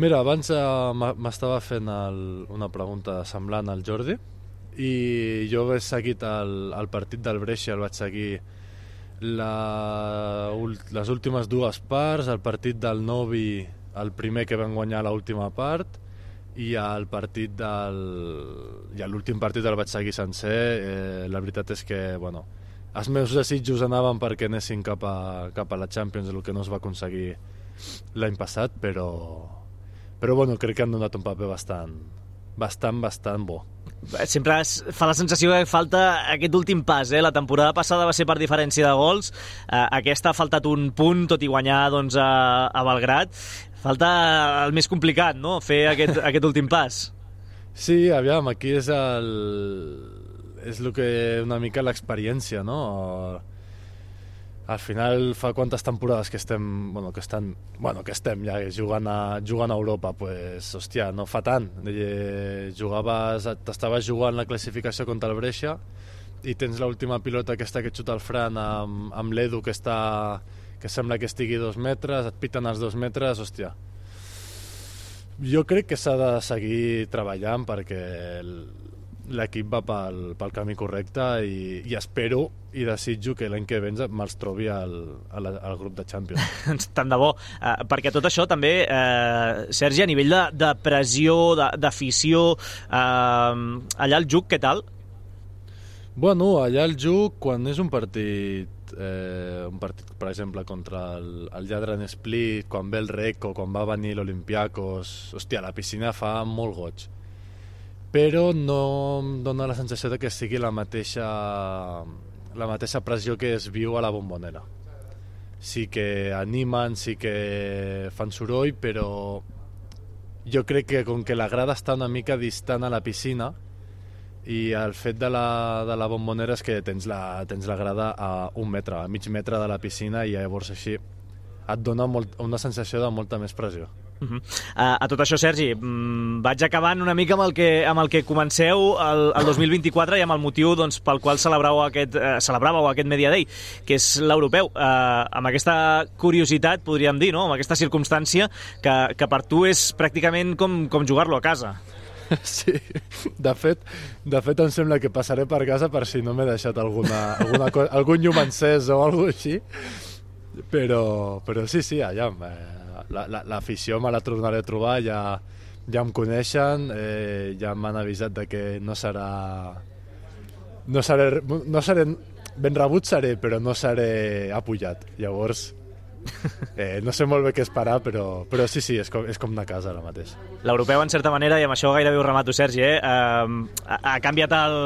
Mira, abans eh, m'estava fent el, una pregunta semblant al Jordi, i jo he seguit el, el partit del Brescia, el vaig seguir La, les últimes dues parts, el partit del Novi, el primer que van guanyar l'última part, i el partit del i l'últim partit el vaig seguir sencer. Eh, la veritat és que bueno, els meus desitjos anaven perquè anessin cap a, cap a la Champions, el que no es va aconseguir l'any passat, però però bueno, crec que han donat un paper bastant bastant, bastant bo. Sempre fa la sensació que falta aquest últim pas, eh? La temporada passada va ser per diferència de gols, eh, aquesta ha faltat un punt, tot i guanyar doncs, a, a Belgrat. Falta el més complicat, no?, fer aquest, aquest últim pas. Sí, aviam, aquí és el és el que una mica l'experiència, no? Al final fa quantes temporades que estem, bueno, que estan, bueno, que estem ja jugant a, jugant a Europa, pues, hòstia, no fa tant. Eh, jugaves, t'estaves jugant la classificació contra el Brescia i tens l'última pilota aquesta que xuta el Fran amb, amb l'Edu que està, que sembla que estigui dos metres, et piten els dos metres, hòstia. Jo crec que s'ha de seguir treballant perquè l'equip va pel, pel camí correcte i, i espero i desitjo que l'any que ve me'ls trobi al, al, al grup de Champions. Tant de bo, uh, perquè tot això també, uh, Sergi, a nivell de, de pressió, d'afició, uh, allà al Juc, què tal? Bueno, allà al Juc, quan és un partit, eh, un partit, per exemple, contra el, el Jadran Split, quan ve el Recco, quan va venir l'Olympiakos, hòstia, la piscina fa molt goig. Però no em dona la sensació de que sigui la mateixa, la mateixa pressió que es viu a la Bombonera. Sí que animen, sí que fan soroll, però jo crec que com que la grada està una mica distant a la piscina i el fet de la, de la Bombonera és que tens la, tens la grada a un metre, a mig metre de la piscina, i llavors així et dona molt, una sensació de molta més pressió. Uh-huh. uh, a tot això, Sergi, mm, vaig acabant una mica amb el que, amb el que comenceu el, el dos mil vint-i-quatre i amb el motiu doncs, pel qual celebràveu aquest, uh, celebràveu aquest Media Day, que és l'europeu. Uh, amb aquesta curiositat, podríem dir, no?, amb aquesta circumstància que, que per tu és pràcticament com, com jugar-lo a casa. Sí, de fet, de fet em sembla que passaré per casa per si no m'he deixat alguna, alguna cosa, algun llum encès o alguna cosa així, però, però sí, sí, allà, eh, la, la, l'afició me la tornaré a trobar, ja, ja em coneixen, eh, ja m'han avisat de que no serà... No seré, no seré... Ben rebut seré, però no seré apujat. Llavors, eh, no sé molt bé què esperar, però, però sí, sí, és com, és com de casa ara mateix. L'europeu, en certa manera, i amb això gairebé ho remato, Sergi, eh? Uh, ha, ha canviat el,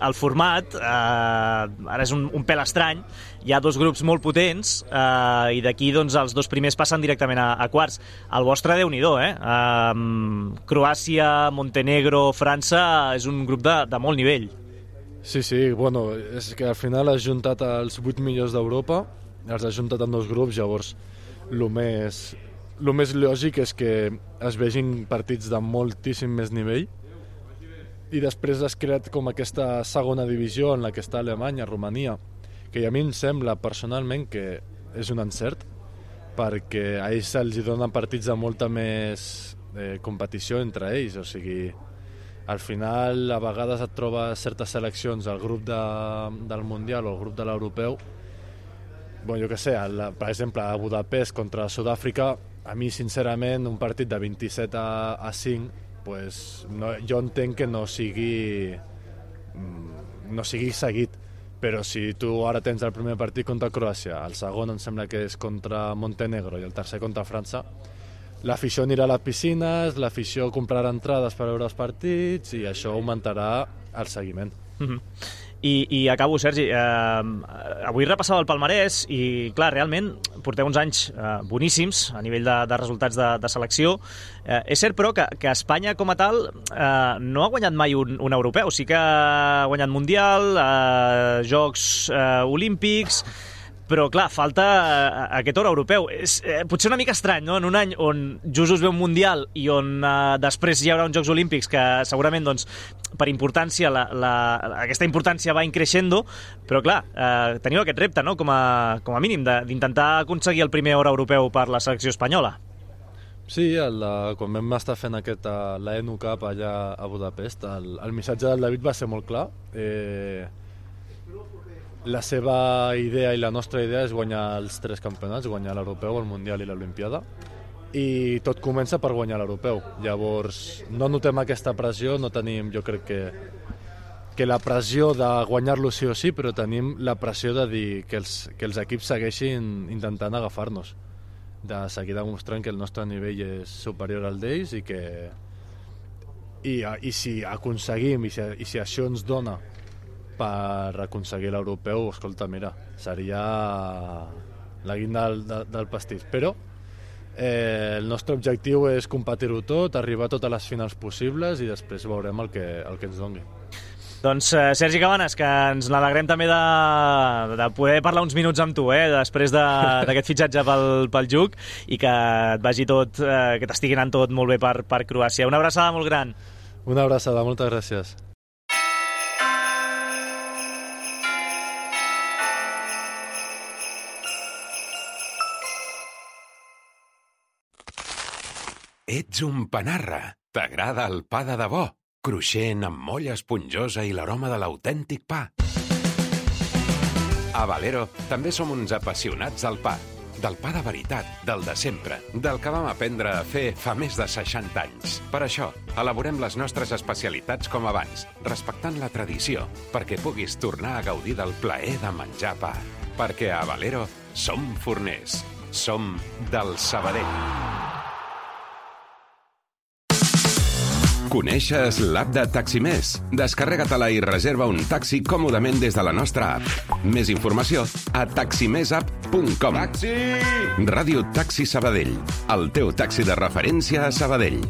el format, uh, ara és un, un pèl estrany, hi ha dos grups molt potents, uh, i d'aquí doncs, els dos primers passen directament a, a quarts. El vostre, Déu-n'hi-do, eh? Uh, Croàcia, Montenegro, França, és un grup de, de molt nivell. Sí, sí, bueno, és que al final has juntat els vuit millors d'Europa, els has juntat en dos grups, llavors el més, lo més lògic és que es vegin partits de moltíssim més nivell i després has creat com aquesta segona divisió en la que està Alemanya, Romania, que a mi em sembla personalment que és un encert perquè a ells se'ls donen partits de molta més eh, competició entre ells, o sigui... Al final, a vegades et trobes certes seleccions al grup de, del Mundial o al grup de l'Europeu. Bueno, jo què sé, el, per exemple, a Budapest contra Sud-àfrica, a mi, sincerament, un partit de vint-i-set a cinc, pues, no, jo entenc que no sigui, no sigui seguit. Però si tu ara tens el primer partit contra Croàcia, el segon em sembla que és contra Montenegro i el tercer contra França, l'afició anirà a les piscines, l'afició comprarà entrades per veure els partits i això augmentarà el seguiment. Mm-hmm. I, I acabo, Sergi. Eh, avui repassava el palmarès i, clar, realment porteu uns anys eh, boníssims a nivell de, de resultats de, de selecció. Eh, és cert, però, que, que Espanya com a tal eh, no ha guanyat mai un, un europeu. Sí que ha guanyat Mundial, eh, Jocs eh, Olímpics... Però, clar, falta aquest or europeu. És eh, potser una mica estrany, no?, en un any on just us ve un Mundial i on eh, després hi haurà uns Jocs Olímpics que segurament, doncs, per importància, la, la, aquesta importància va increixendo, però, clar, eh, teniu aquest repte, no?, com a, com a mínim, d'intentar aconseguir el primer or europeu per la selecció espanyola. Sí, el, quan vam estar fent aquest, la E N U Cup allà a Budapest, el, el missatge del David va ser molt clar. Eh... La seva idea i la nostra idea és guanyar els tres campionats, guanyar l'Europeu, el Mundial i l'Olimpiada, i tot comença per guanyar l'Europeu. Llavors, no notem aquesta pressió, no tenim, jo crec que, que la pressió de guanyar-lo sí o sí, però tenim la pressió de dir que els, que els equips segueixin intentant agafar-nos, de seguir demostrant que el nostre nivell és superior al d'ells i que i, i si aconseguim, i si, i si això ens dona per aconseguir l'europeu, escolta, mira, seria la guinda del, del pastís. Però eh, el nostre objectiu és competir-ho tot, arribar a totes les finals possibles i després veurem el que, el que ens doni. Doncs, eh, Sergi Cabanes, que ens n'alegrem també de, de poder parlar uns minuts amb tu, eh, després d'aquest de, fitxatge pel, pel Juc, i que et vagi tot, eh, que t'estigui anant tot molt bé per, per Croàcia. Una abraçada molt gran. Una abraçada, moltes gràcies. Ets un panarra. T'agrada el pa de debò, cruixent amb molla esponjosa i l'aroma de l'autèntic pa. A Valero també som uns apassionats del pa. Del pa de veritat, del de sempre, del que vam aprendre a fer fa més de seixanta anys. Per això, elaborem les nostres especialitats com abans, respectant la tradició, perquè puguis tornar a gaudir del plaer de menjar pa. Perquè a Valero som forners. Som del Sabadell. Coneixes l'app de Taximés? Descarrega-te-la i reserva un taxi còmodament des de la nostra app. Més informació a taximés app punt com. Taxi! Ràdio Taxi Sabadell, el teu taxi de referència a Sabadell.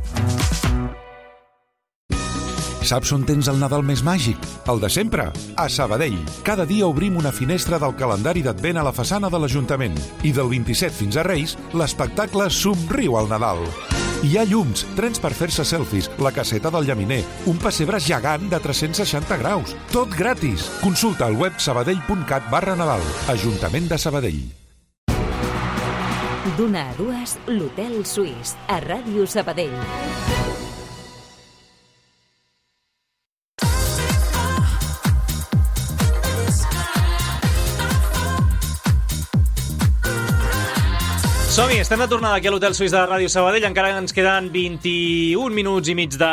Saps on tens el Nadal més màgic? El de sempre, a Sabadell. Cada dia obrim una finestra del calendari d'Advent a la façana de l'Ajuntament. I del vint-i-set fins a Reis, l'espectacle Somriu al Nadal. Hi ha llums, trens per fer-se selfies, la caseta del llaminer, un pessebre gegant de tres-cents seixanta graus. Tot gratis. Consulta al web sabadell punt cat barra Nadal. Ajuntament de Sabadell. D'una a dues, l'Hotel Suís, a Ràdio Sabadell. Som-hi, estem de tornada aquí a l'Hotel Suís de Ràdio Sabadell. Encara ens queden vint-i-un minuts i mig de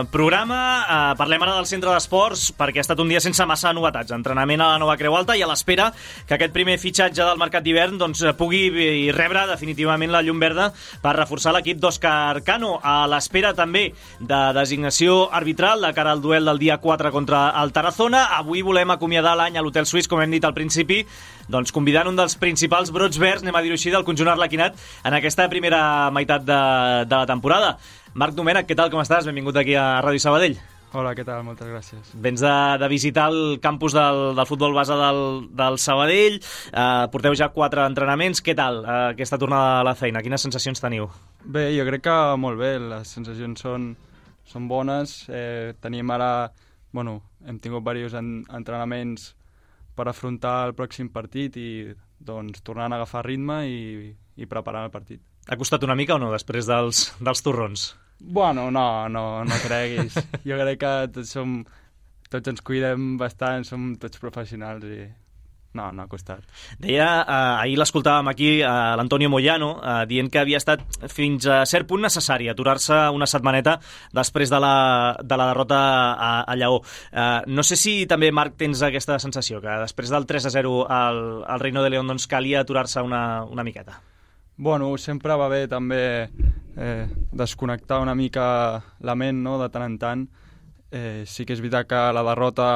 programa. Uh, parlem ara del centre d'esports, perquè ha estat un dia sense massa novetats. Entrenament a la nova Creu Alta i a l'espera que aquest primer fitxatge del mercat d'hivern doncs, pugui rebre definitivament la llum verda per reforçar l'equip d'Òscar Cano. A l'espera també de designació arbitral de cara al duel del dia quatre contra el Tarazona. Avui volem acomiadar l'any a l'Hotel Suís, com hem dit al principi, doncs convidant un dels principals brots verds, anem a dir-ho així, del conjunt arlequinat en aquesta primera meitat de, de la temporada. Marc Domènech, què tal, com estàs? Benvingut aquí a Ràdio Sabadell. Hola, què tal? Moltes gràcies. Vens de, de visitar el campus del, del futbol base del, del Sabadell, eh, porteu ja quatre entrenaments. Què tal eh, aquesta tornada a la feina? Quines sensacions teniu? Bé, jo crec que molt bé, les sensacions són, són bones. Eh, tenim ara, bueno, hem tingut diversos en, entrenaments per afrontar el pròxim partit i doncs tornant a agafar ritme i, i preparant el partit. Ha costat una mica o no, després dels, dels torrons? Bueno, no, no, no creguis. Jo crec que tots, som, tots ens cuidem bastant, som tots professionals i no, no ha costat. Deia, eh, ahir l'escoltàvem aquí, eh, l'Antonio Moyano, eh, dient que havia estat fins a cert punt necessari aturar-se una setmaneta després de la, de la derrota a, a Lleó. Eh, no sé si també, Marc, tens aquesta sensació, que després del tres a zero al, al Reino de León doncs calia aturar-se una, una miqueta. Bueno, sempre va bé també eh, desconnectar una mica la ment, no?, de tant en tant. Eh, sí que és veritat que la derrota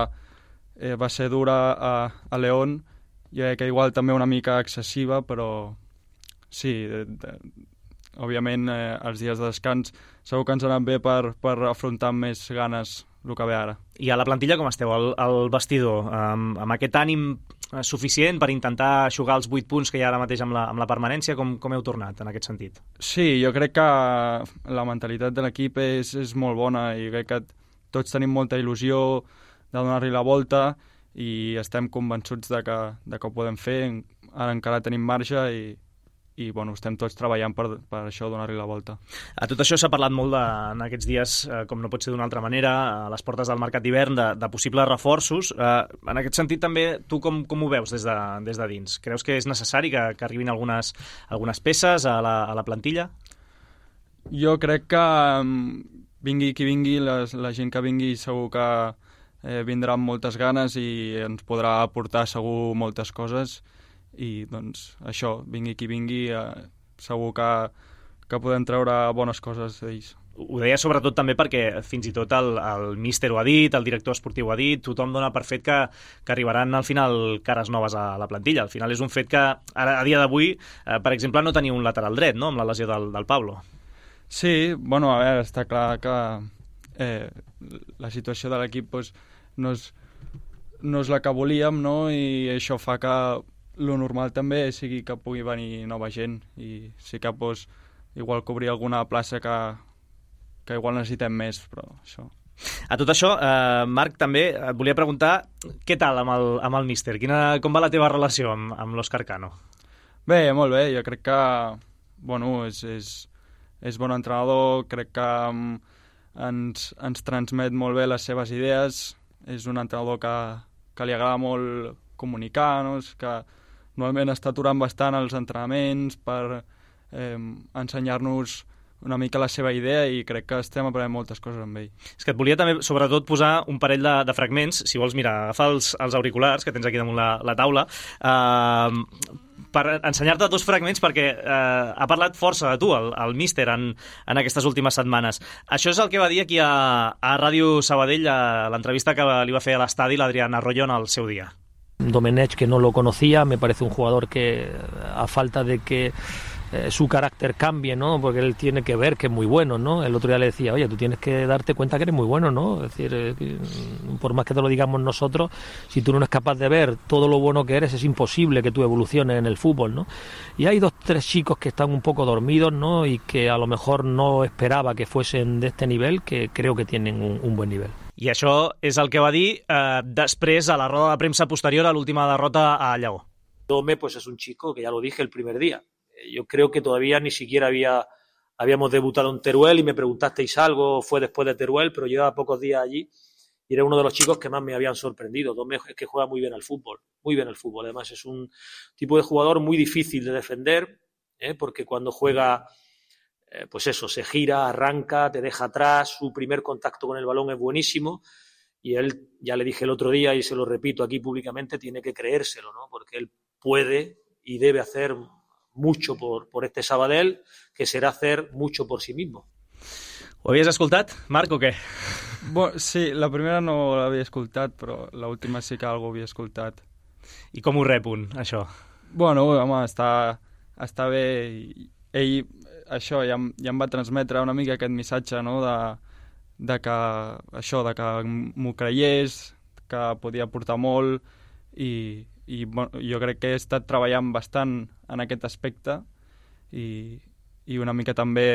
eh, va ser dura a, a León, jo crec que igual també una mica excessiva, però sí, de, de, òbviament eh, els dies de descans segur que ens han anat bé per, per afrontar amb més ganes el que ve ara. I a la plantilla com esteu, al, al vestidor, amb, amb aquest ànim suficient per intentar jugar els vuit punts que hi ha ara mateix amb la, amb la permanència? Com, com heu tornat en aquest sentit? Sí, jo crec que la mentalitat de l'equip és, és molt bona i crec que tots tenim molta il·lusió de donar-li la volta i estem convençuts de que, de que ho podem fer. Ara encara tenim marge i, i bueno, estem tots treballant per, per això, donar-li la volta. A tot això s'ha parlat molt de, en aquests dies, eh, com no pot ser d'una altra manera, a les portes del mercat d'hivern, de, de possibles reforços. Eh, en aquest sentit també, tu com, com ho veus des de, des de dins? Creus que és necessari que, que arribin algunes, algunes peces a la, a la plantilla? Jo crec que vingui qui vingui, les, la gent que vingui segur que eh, vindrà amb moltes ganes i ens podrà aportar segur moltes coses. I doncs això, vingui qui vingui, eh, segur que, que podem treure bones coses d'ells. Ho deia sobretot també perquè fins i tot el, el míster ho ha dit, el director esportiu ho ha dit, tothom dona per fet que, que arribaran al final cares noves a la plantilla. Al final és un fet que ara, a dia d'avui, eh, per exemple, no tenia un lateral dret, no?, amb la lesió del, del Pablo. Sí, bueno, a veure, està clar que eh, la situació de l'equip pues, no, és, no és la que volíem, no?, i això fa que lo normal també sigui que pugui venir nova gent i sí que pues, igual cobrir alguna plaça que, que igual necessitem més, però això... A tot això, eh, Marc, també et volia preguntar què tal amb el, amb el míster? Quina, com va la teva relació amb, amb l'Òscar Cano? Bé, molt bé, jo crec que bueno, és, és, és bon entrenador, crec que um, ens, ens transmet molt bé les seves idees, és un entrenador que, que li agrada molt comunicar, no? És que normalment està aturant bastant els entrenaments per eh, ensenyar-nos una mica la seva idea i crec que estem aprenent moltes coses amb ell. És que et volia també, sobretot, posar un parell de, de fragments, si vols, mira, agafa els, els auriculars que tens aquí damunt la, la taula, eh, per ensenyar-te dos fragments perquè eh, ha parlat força de tu, el, el míster, en, en aquestes últimes setmanes. Això és el que va dir aquí a, a Ràdio Sabadell, a l'entrevista que li va fer a l'estadi l'Adrián Arroyo en el seu dia. Domenech, que no lo conocía, me parece un jugador que a falta de que eh, su carácter cambie, ¿no? Porque él tiene que ver que es muy bueno, ¿no? El otro día le decía, oye, tú tienes que darte cuenta que eres muy bueno, ¿no? Es decir, eh, por más que te lo digamos nosotros, si tú no eres capaz de ver todo lo bueno que eres, es imposible que tú evoluciones en el fútbol, ¿no? Y hay dos, tres chicos que están un poco dormidos, ¿no? Y que a lo mejor no esperaba que fuesen de este nivel, que creo que tienen un, un buen nivel. I això és el que va dir eh, després a la roda de premsa posterior a l'última derrota a Lleó. Dome pues es un chico que ya lo dije el primer día. Yo creo que todavía ni siquiera había habíamos debutado en Teruel y me preguntasteis algo, fue después de Teruel, pero llevaba pocos días allí y era uno de los chicos que más me habían sorprendido. Dome es que juega muy bien al fútbol, muy bien al fútbol. Además es un tipo de jugador muy difícil de defender, ¿eh? Porque cuando juega, eh, pues eso, se gira, arranca, te deja atrás, su primer contacto con el balón es buenísimo y él, ya le dije el otro día y se lo repito aquí públicamente, tiene que creérselo, ¿no? Porque él puede y debe hacer mucho por, por este Sabadell, que será hacer mucho por sí mismo. Ho havies escoltat, Marc, o què? Bo, sí, la primera no l'havia escoltat, però l'última sí que algú havia escoltat. I com ho rep un, això? Bueno, home, està, està bé. Ell, això, ja, ja em va transmetre una mica aquest missatge, no?, de, de que, això, de que m'ho creiés, que podia aportar molt, i, i bueno, jo crec que he estat treballant bastant en aquest aspecte, i, i una mica també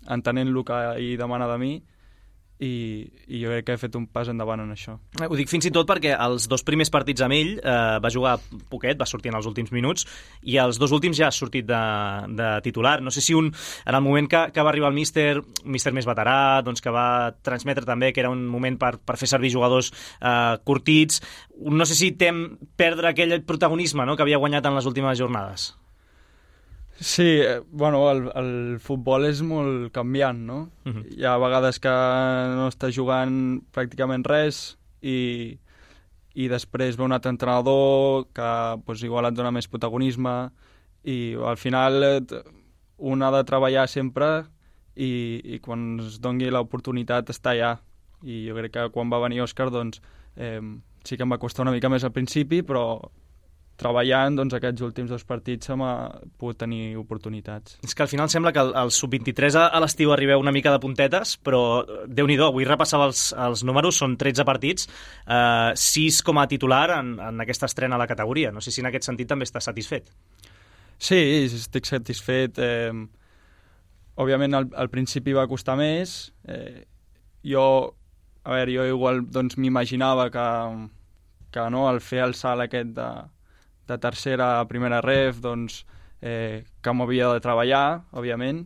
entenent el que ell demana de mi, i, i jo crec que he fet un pas endavant en això. Ho dic fins i tot perquè els dos primers partits amb ell eh, va jugar poquet, va sortir en els últims minuts, i els dos últims ja ha sortit de, de titular. No sé si un, en el moment que, que va arribar el míster, un míster més veterà, doncs que va transmetre també que era un moment per, per fer servir jugadors eh, curtits, no sé si tem perdre aquell protagonisme, no?, que havia guanyat en les últimes jornades. Sí, bueno, el, el futbol és molt canviant, no? Uh-huh. Hi ha vegades que no està jugant pràcticament res i, i després ve un altre entrenador que pues, igual et dona més protagonisme i al final un ha de treballar sempre i, i quan es doni l'oportunitat està allà. I jo crec que quan va venir Òscar doncs, eh, sí que em va costar una mica més al principi, però treballant, doncs, aquests últims dos partits hem pogut tenir oportunitats. És que al final sembla que el, el sub vint-i-tres a, a l'estiu arribeu una mica de puntetes, però Déu-n'hi-do, avui repassava els, els números, són tretze partits, eh, sis com a titular en, en aquesta estrena a la categoria. No sé si en aquest sentit també estàs satisfet. Sí, estic satisfet. Eh, òbviament, al, al principi va costar més. Eh, jo, a veure, jo igual doncs, m'imaginava que, que no, al fer el salt aquest de de tercera a primera ref, doncs, eh, que m'havia de treballar, òbviament,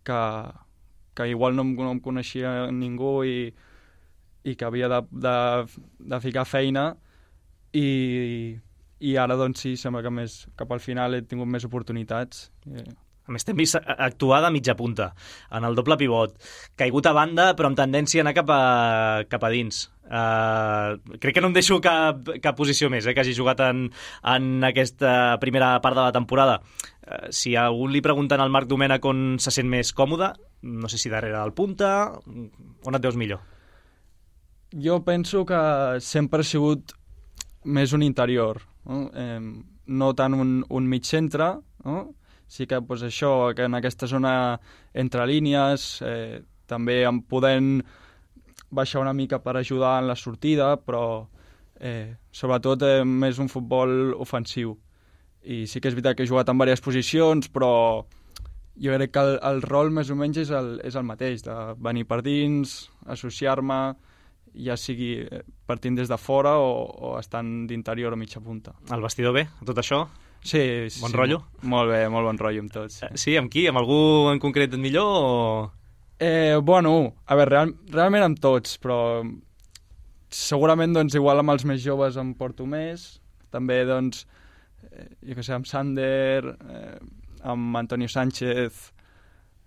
que, que igual no em, no em coneixia ningú i, i que havia de, de, de ficar feina i, i ara, doncs, sí, sembla que més, cap al final he tingut més oportunitats. Eh. A més, t'hem vist actuar de mitja punta, en el doble pivot, caigut a banda, però amb tendència a anar cap a, cap a dins. Uh, crec que no em deixo cap, cap posició més, eh, que hagi jugat en, en aquesta primera part de la temporada. Uh, si a algú li pregunten al Marc Domènech on se sent més còmode, no sé si darrere del punta, on et veus millor? Jo penso que sempre he sigut més un interior, no, eh, no tant un, un mig centre, no? Sí que pues, això, que en aquesta zona entre línies, eh, també em podent baixar una mica per ajudar en la sortida, però eh, sobretot eh, més un futbol ofensiu. I sí que és veritat que he jugat en diverses posicions, però jo crec que el, el rol més o menys és el, és el mateix, de venir per dins, associar-me, ja sigui partint des de fora o, o estant d'interior o mitja punta. El vestidor bé, tot això? Sí, bon sí, rotllo? Molt bé, molt bon rotllo amb tots. Sí, sí amb qui? Amb algú en concret et millor o...? Eh, bueno, a veure, real, realment amb tots, però segurament doncs, igual amb els més joves em porto més. També, doncs, eh, jo què sé, amb Sander, eh, amb Antonio Sánchez,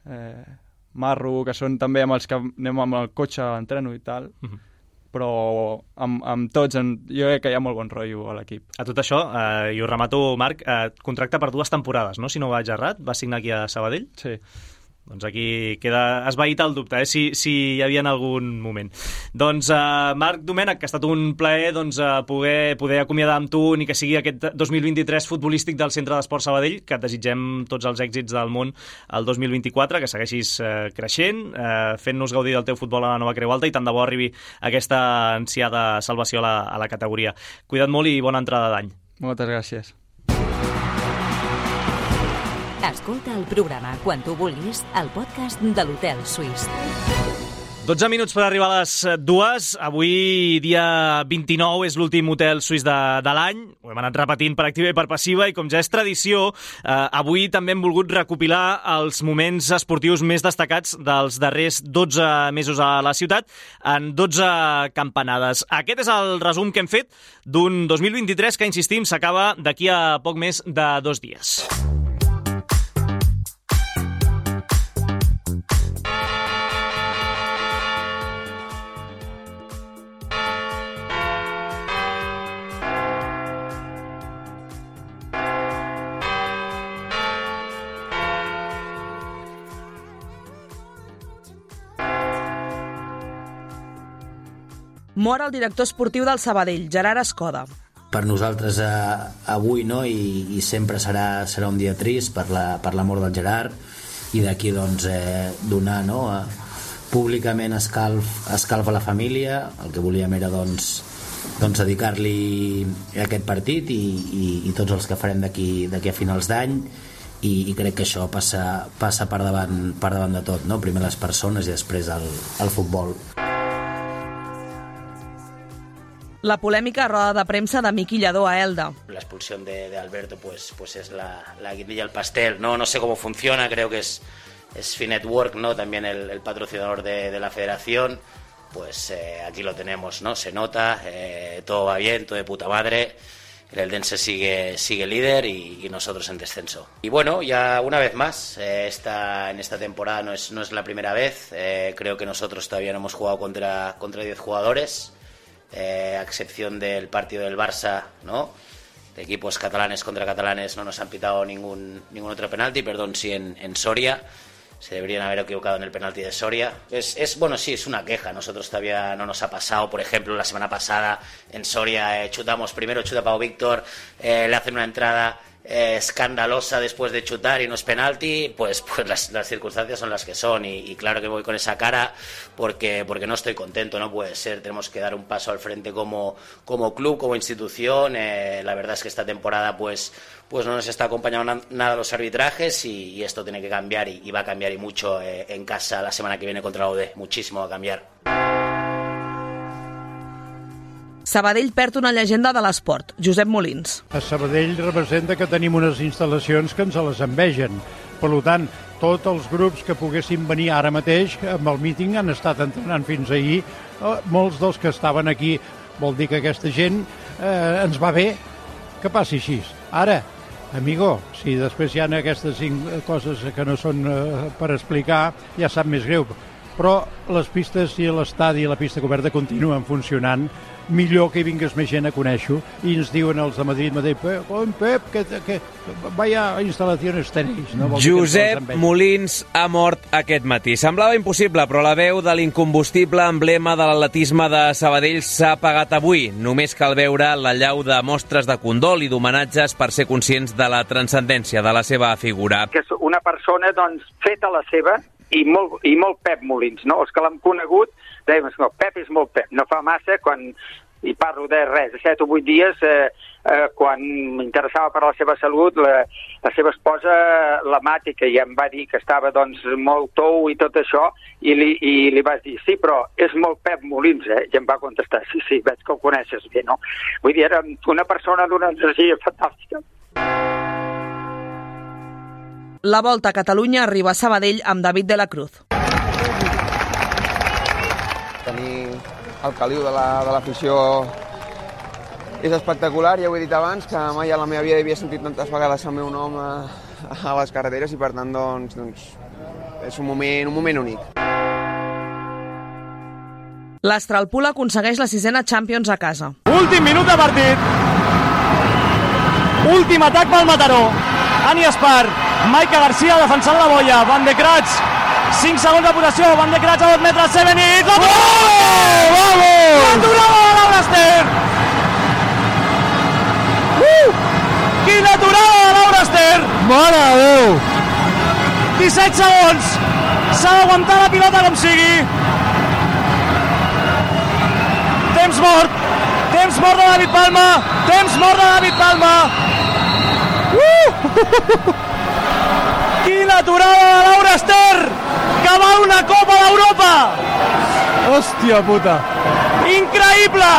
eh, Marro, que són també amb els que anem amb el cotxe a l'entreno i tal. Uh-huh. Però amb, amb tots, en, jo crec que hi ha molt bon rotllo a l'equip. A tot això, eh, i ho remato, Marc, eh, contracte per dues temporades, no? Si no vaig errat, vas signar aquí a Sabadell? Sí. Doncs aquí queda esvaït el dubte, eh? si, si hi havia en algun moment. Doncs, eh, Marc Domènech, que ha estat un plaer doncs, eh, poder, poder acomiadar amb tu ni que sigui aquest dos mil vint-i-tres futbolístic del Centre d'Esport Sabadell, que et desitgem tots els èxits del món el dos mil vint-i-quatre, que segueixis eh, creixent, eh, fent-nos gaudir del teu futbol a la nova Creu Alta i tant de bo arribi aquesta ansiada salvació a la, a la categoria. Cuida't molt i bona entrada d'any. Moltes gràcies. Escolta el programa quan tu vulguis al podcast de l'Hotel Suís. dotze minuts per arribar a les dues. Avui, dia vint-i-nou, és l'últim hotel suís de, de l'any. Ho hem anat repetint per activa i per passiva i com ja és tradició, eh, avui també hem volgut recopilar els moments esportius més destacats dels darrers dotze mesos a la ciutat en dotze campanades. Aquest és el resum que hem fet d'un dos mil vint-i-tres que, insistim, s'acaba d'aquí a poc més de dos dies. Mor el director esportiu del Sabadell, Gerard Escoda. Per nosaltres eh, avui no, i, i sempre serà, serà un dia trist per la, per la mort del Gerard, i d'aquí doncs, eh, donar no, eh, públicament escalf, escalf a la família. El que volíem era doncs, doncs dedicar-li aquest partit i, i, i tots els que farem d'aquí d'aquí a finals d'any, i, i crec que això passa, passa per, davant, per davant de tot, no? Primer les persones i després el, el futbol. La polèmica roda de premsa de Miqui Lladó a Elda. La expulsión de, de Alberto pues, pues es la, la guindilla del pastel. No, no sé cómo funciona, creo que es, es Finetwork, ¿no? También el, el patrocinador de, de la federación. Pues eh, aquí lo tenemos, ¿no? Se nota, eh, todo va bien, todo de puta madre. El Eldense sigue, sigue líder y, y nosotros en descenso. Y bueno, ya una vez más, eh, esta, en esta temporada no es, no es la primera vez. Eh, creo que nosotros todavía no hemos jugado contra, contra diez jugadores. Eh, a excepción del partido del Barça, ¿no? De equipos catalanes contra catalanes no nos han pitado ningún, ningún otro penalti, perdón, sí en, en Soria. Se deberían haber equivocado en el penalti de Soria. Es, es, bueno, sí, es una queja. Nosotros todavía no nos ha pasado. Por ejemplo, la semana pasada en Soria eh, chutamos, primero chuta Pau Víctor, eh, le hacen una entrada eh, escandalosa después de chutar y no es penalti. Pues, pues las, las circunstancias son las que son. Y, y claro que voy con esa cara porque, porque no estoy contento. No puede ser. Tenemos que dar un paso al frente como, como club, como institución. Eh, la verdad es que esta temporada pues... pues no nos está acompañando nada los arbitrajes y, y esto tiene que cambiar y, y va a cambiar y mucho eh, en casa la semana que viene contra la U D. Muchísimo va a cambiar. Sabadell perd una llegenda de l'esport, Josep Molins. A Sabadell representa que tenim unes instal·lacions que ens les envegen. Per tant, tots els grups que poguessin venir ara mateix amb el míting han estat entrenant fins ahir. Molts dels que estaven aquí, vol dir que aquesta gent eh, ens va bé que passi així. Ara, amigo, si després hi ha aquestes cinc coses que no són eh, per explicar, ja sap més greu. Però les pistes i l'estadi i la pista coberta continuen funcionant. Millor que hi vingués més gent a conèixer-ho. I ens diuen els de Madrid, Madrid, Pep, Pep que, que vaya instal·lacions tenéis. No? Josep Molins ha mort aquest matí. Semblava impossible, però la veu de l'incombustible emblema de l'atletisme de Sabadell s'ha apagat avui. Només cal veure la llau de mostres de condol i d'homenatges per ser conscients de la transcendència de la seva figura. Que és una persona, doncs, feta la seva, i molt, i molt Pep Molins, no? Els que l'han conegut dèiem, no, Pep és molt Pep. No fa massa, quan, i parlo de res, de set o vuit dies, eh, eh, quan m'interessava per la seva salut, la, la seva esposa, la Mati, que ja em va dir que estava doncs, molt tou i tot això, i li, i li vas dir, sí, però és molt Pep Molins, eh? I em va contestar, sí, sí, veig que ho coneixes bé, no? Vull dir, era una persona d'una energia fantàstica. La Volta a Catalunya arriba a Sabadell amb David de la Cruz. Tenir el caliu de l'afició la, és espectacular, ja ho he dit abans, que mai a la meva vida havia sentit tantes vegades el meu nom a, a les carreteres i per tant doncs, doncs és un moment, un moment únic. L'Astralpool aconsegueix la sisena Champions a casa. Últim minut de partit. Últim atac pel Mataró. Ani Espar, Maica Garcia defensant la boia, Van de Kratz, cinc segons de possessió, Van de Kratz a dos metres, Sevenit, la Vamos! L'aturada de Laura Ester! Uh! Quina aturada de Laura Ester! Mare de Déu! disset segons, s'ha d'aguantar la pilota com sigui. Temps mort, temps mort de David Palma, temps mort de David Palma. Uh! Quina aturada de Laura Ester, que val una Copa d'Europa! Hòstia puta! Increïble!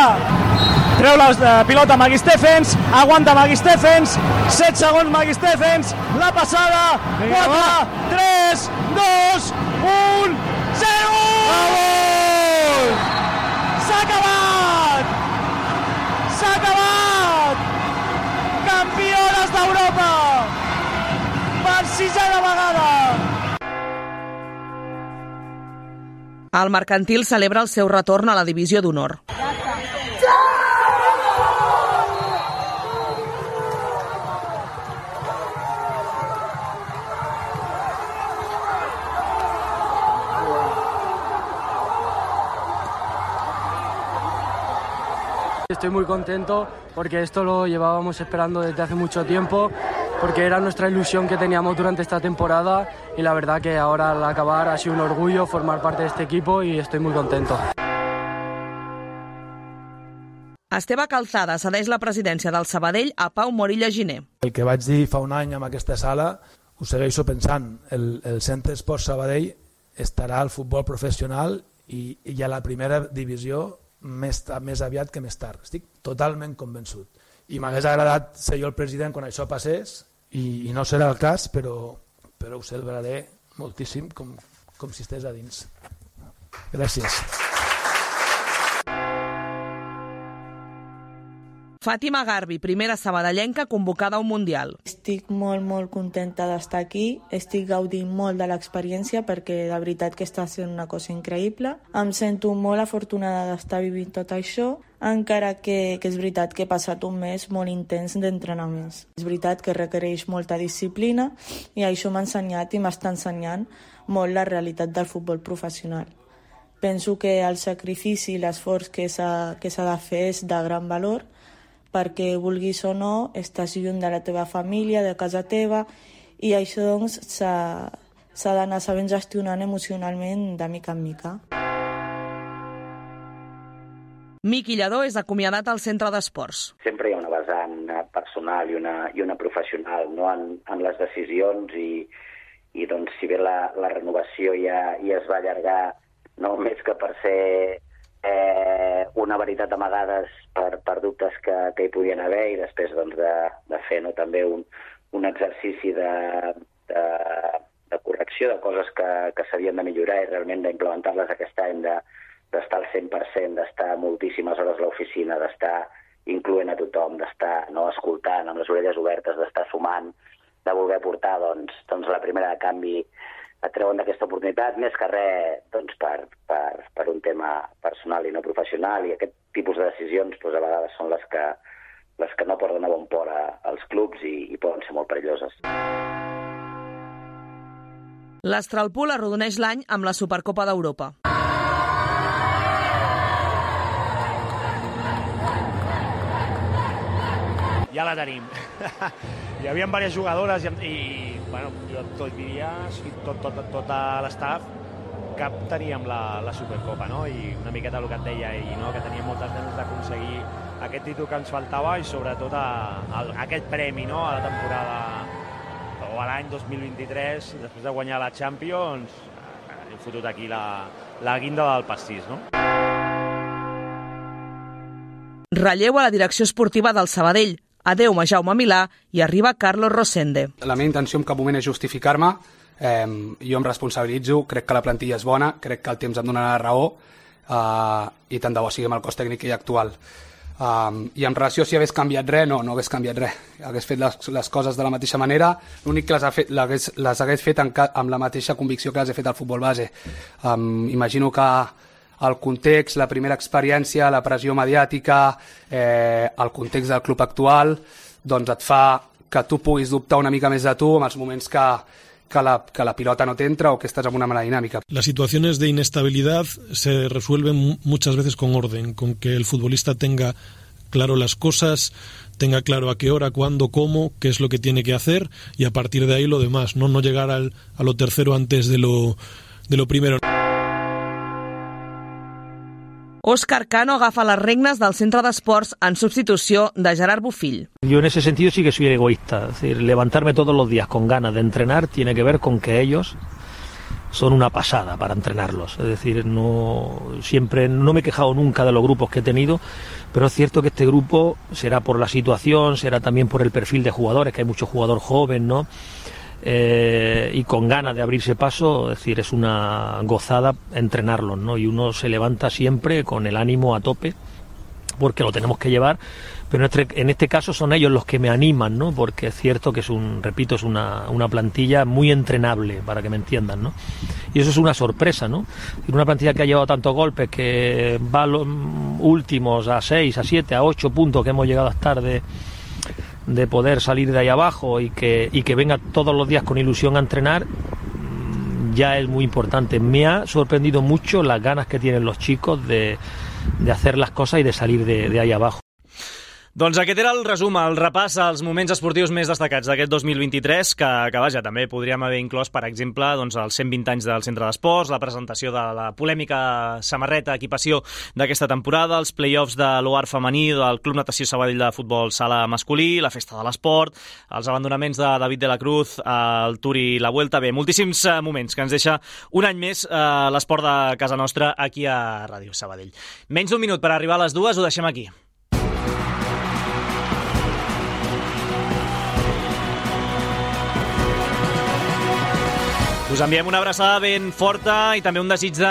Treu la pilota Maggie Stephens, aguanta Maggie Stephens, set segons Maggie Stephens, la passada, quatre, tres, dos, un, zero! Vamos! S'ha acabat! S'ha acabat! Campiones d'Europa! Per sisena vegada! El Mercantil celebra el seu retorn a la divisió d'honor. estoy muy contento porque esto lo llevábamos esperando desde hace mucho tiempo, porque era nuestra ilusión que teníamos durante esta temporada y la verdad que ahora al acabar ha sido un orgullo formar parte de este equipo y estoy muy contento. Esteve Calzada cedeix la presidència del Sabadell a Pau Morilla Giner. El que vaig dir fa un any en aquesta sala ho segueixo pensant. El, el Centre Esport Sabadell estarà al futbol professional i, i a la primera divisió més, més aviat que més tard. Estic totalment convençut. I m'hagués agradat ser jo el president quan això passés i, i no serà el cas, però, però ho celebraré moltíssim com, com si estigués a dins. Gràcies. Fàtima Garbi, primera sabadellenca convocada a un Mundial. Estic molt, molt contenta d'estar aquí, estic gaudint molt de l'experiència perquè de veritat que està sent una cosa increïble. Em sento molt afortunada d'estar vivint tot això, encara que, que és veritat que he passat un mes molt intens d'entrenaments. És veritat que requereix molta disciplina i això m'ha ensenyat i m'està ensenyant molt la realitat del futbol professional. Penso que el sacrifici i l'esforç que s'ha que s'ha de fer és de gran valor, perquè vulguis o no, estàs lluny de la teva família, de casa teva, i això doncs s'ha d'anar sabent gestionant emocionalment de mica en mica. Miqui Lladó és acomiadat al centre d'esports. Sempre hi ha una vessant personal i una, i una professional, no? en, en les decisions i, i doncs, si bé la, la renovació ja, ja es va allargar, no més que per ser eh, una veritat amagades per, per dubtes que, que hi podien haver i després doncs, de, de fer no, també un, un exercici de, de, de correcció de coses que, que s'havien de millorar i realment d'implementar-les aquest any, de, d'estar al cent per cent, d'estar moltíssimes hores a l'oficina, d'estar incloent a tothom, d'estar no, escoltant amb les orelles obertes, d'estar sumant, de voler portar doncs, doncs la primera de canvi et treuen d'aquesta oportunitat, més que res doncs, per, per, per un tema personal i no professional, i aquest tipus de decisions doncs, a vegades són les que, les que no porten a bon port a, als clubs i, i poden ser molt perilloses. L'Astralpool arrodoneix l'any amb la Supercopa d'Europa. Ja la tenim. Hi havia diverses jugadores i, i bueno, jo tot diria, tot, tot, tot l'estaf, que teníem la, la Supercopa, no? I una miqueta el que et deia ell, no? Que teníem moltes ganes d'aconseguir aquest títol que ens faltava i sobretot a, a, a aquest premi, no? A la temporada o a l'any dos mil vint-i-tres, després de guanyar la Champions, hem fotut aquí la, la guinda del pastís, no? Relleu a la direcció esportiva del Sabadell. Adeu a Jaume Milà i arriba Carlos Rosende. La meva intenció en cap moment és justificar-me, eh, jo em responsabilitzo, crec que la plantilla és bona, crec que el temps em donarà la raó eh, i tant de bo sigui amb el cos tècnic i actual. Um, I en relació a si hagués canviat res, no, no hagués canviat res. Hagués fet les, les coses de la mateixa manera, l'únic que les, ha fet, les, les hagués fet en, amb la mateixa convicció que les he fet al futbol base. Um, imagino que el context, la primera experiència, la pressió mediàtica, eh, el context del club actual, doncs et fa que tu puguis dubtar una mica més de tu en els moments que, que, la, que la pilota no t'entra o que estàs en una mala dinámica. Las situaciones de inestabilidad se resuelven muchas veces con orden, con que el futbolista tenga claro las cosas, tenga claro a qué hora, cuándo, cómo, qué es lo que tiene que hacer y a partir de ahí lo demás, no, no llegar al, a lo tercero antes de lo, de lo primero. Òscar Cano agafa les regnes del centre d'esports en substitució de Gerard Bofill. Yo en ese sentido sí que soy egoísta. Es decir, levantarme todos los días con ganas de entrenar tiene que ver con que ellos son una pasada para entrenarlos. Es decir, no siempre no me he quejado nunca de los grupos que he tenido, pero es cierto que este grupo será por la situación, será también por el perfil de jugadores, que hay mucho jugador joven, ¿no? Eh, y con ganas de abrirse paso, es decir, es una gozada entrenarlos, ¿no? Y uno se levanta siempre con el ánimo a tope, porque lo tenemos que llevar, pero en este, en este caso son ellos los que me animan, ¿no? Porque es cierto que es un, repito, es una, una plantilla muy entrenable, para que me entiendan, ¿no? Y eso es una sorpresa, ¿no? Y una plantilla que ha llevado tantos golpes, que va a los últimos a seis, a siete, a ocho puntos que hemos llegado a estar de de poder salir de ahí abajo y que, y que venga todos los días con ilusión a entrenar, ya es muy importante. Me ha sorprendido mucho las ganas que tienen los chicos de, de hacer las cosas y de salir de, de ahí abajo. Doncs aquest era el resum, el repàs als moments esportius més destacats d'aquest dos mil vint-i-tres, que, que vaja, també podríem haver inclòs, per exemple, doncs, els cent vint anys del Centre d'Esports, la presentació de la polèmica samarreta, equipació d'aquesta temporada, els play-offs de l'O A R femení, del Club Natació Sabadell de futbol sala masculí, la festa de l'esport, els abandonaments de David de la Cruz, el Tour i la Vuelta. Bé, moltíssims moments que ens deixa un any més eh, l'esport de casa nostra aquí a Ràdio Sabadell. Menys d'un minut per arribar a les dues, ho deixem aquí. Us enviem una abraçada ben forta i també un desig de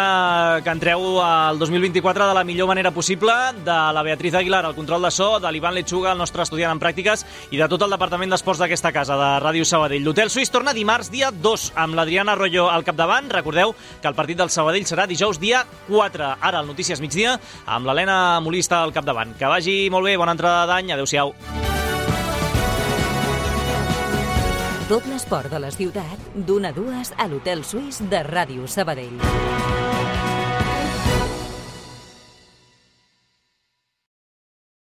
que entreu al dos mil vint-i-quatre de la millor manera possible, de la Beatriz Aguilar, el control de so, de l'Ivan Lechuga, el nostre estudiant en pràctiques, i de tot el departament d'esports d'aquesta casa, de Ràdio Sabadell. L'Hotel Suís torna dimarts dia dos, amb l'Adriana Arroyo al capdavant. Recordeu que el partit del Sabadell serà dijous dia quatre. Ara, al Notícies Migdia, amb l'Helena Molista al capdavant. Que vagi molt bé, bona entrada d'any, adeu-siau. Tot l'esport de la ciutat, d'una a dues a l'Hotel Suís de Ràdio Sabadell.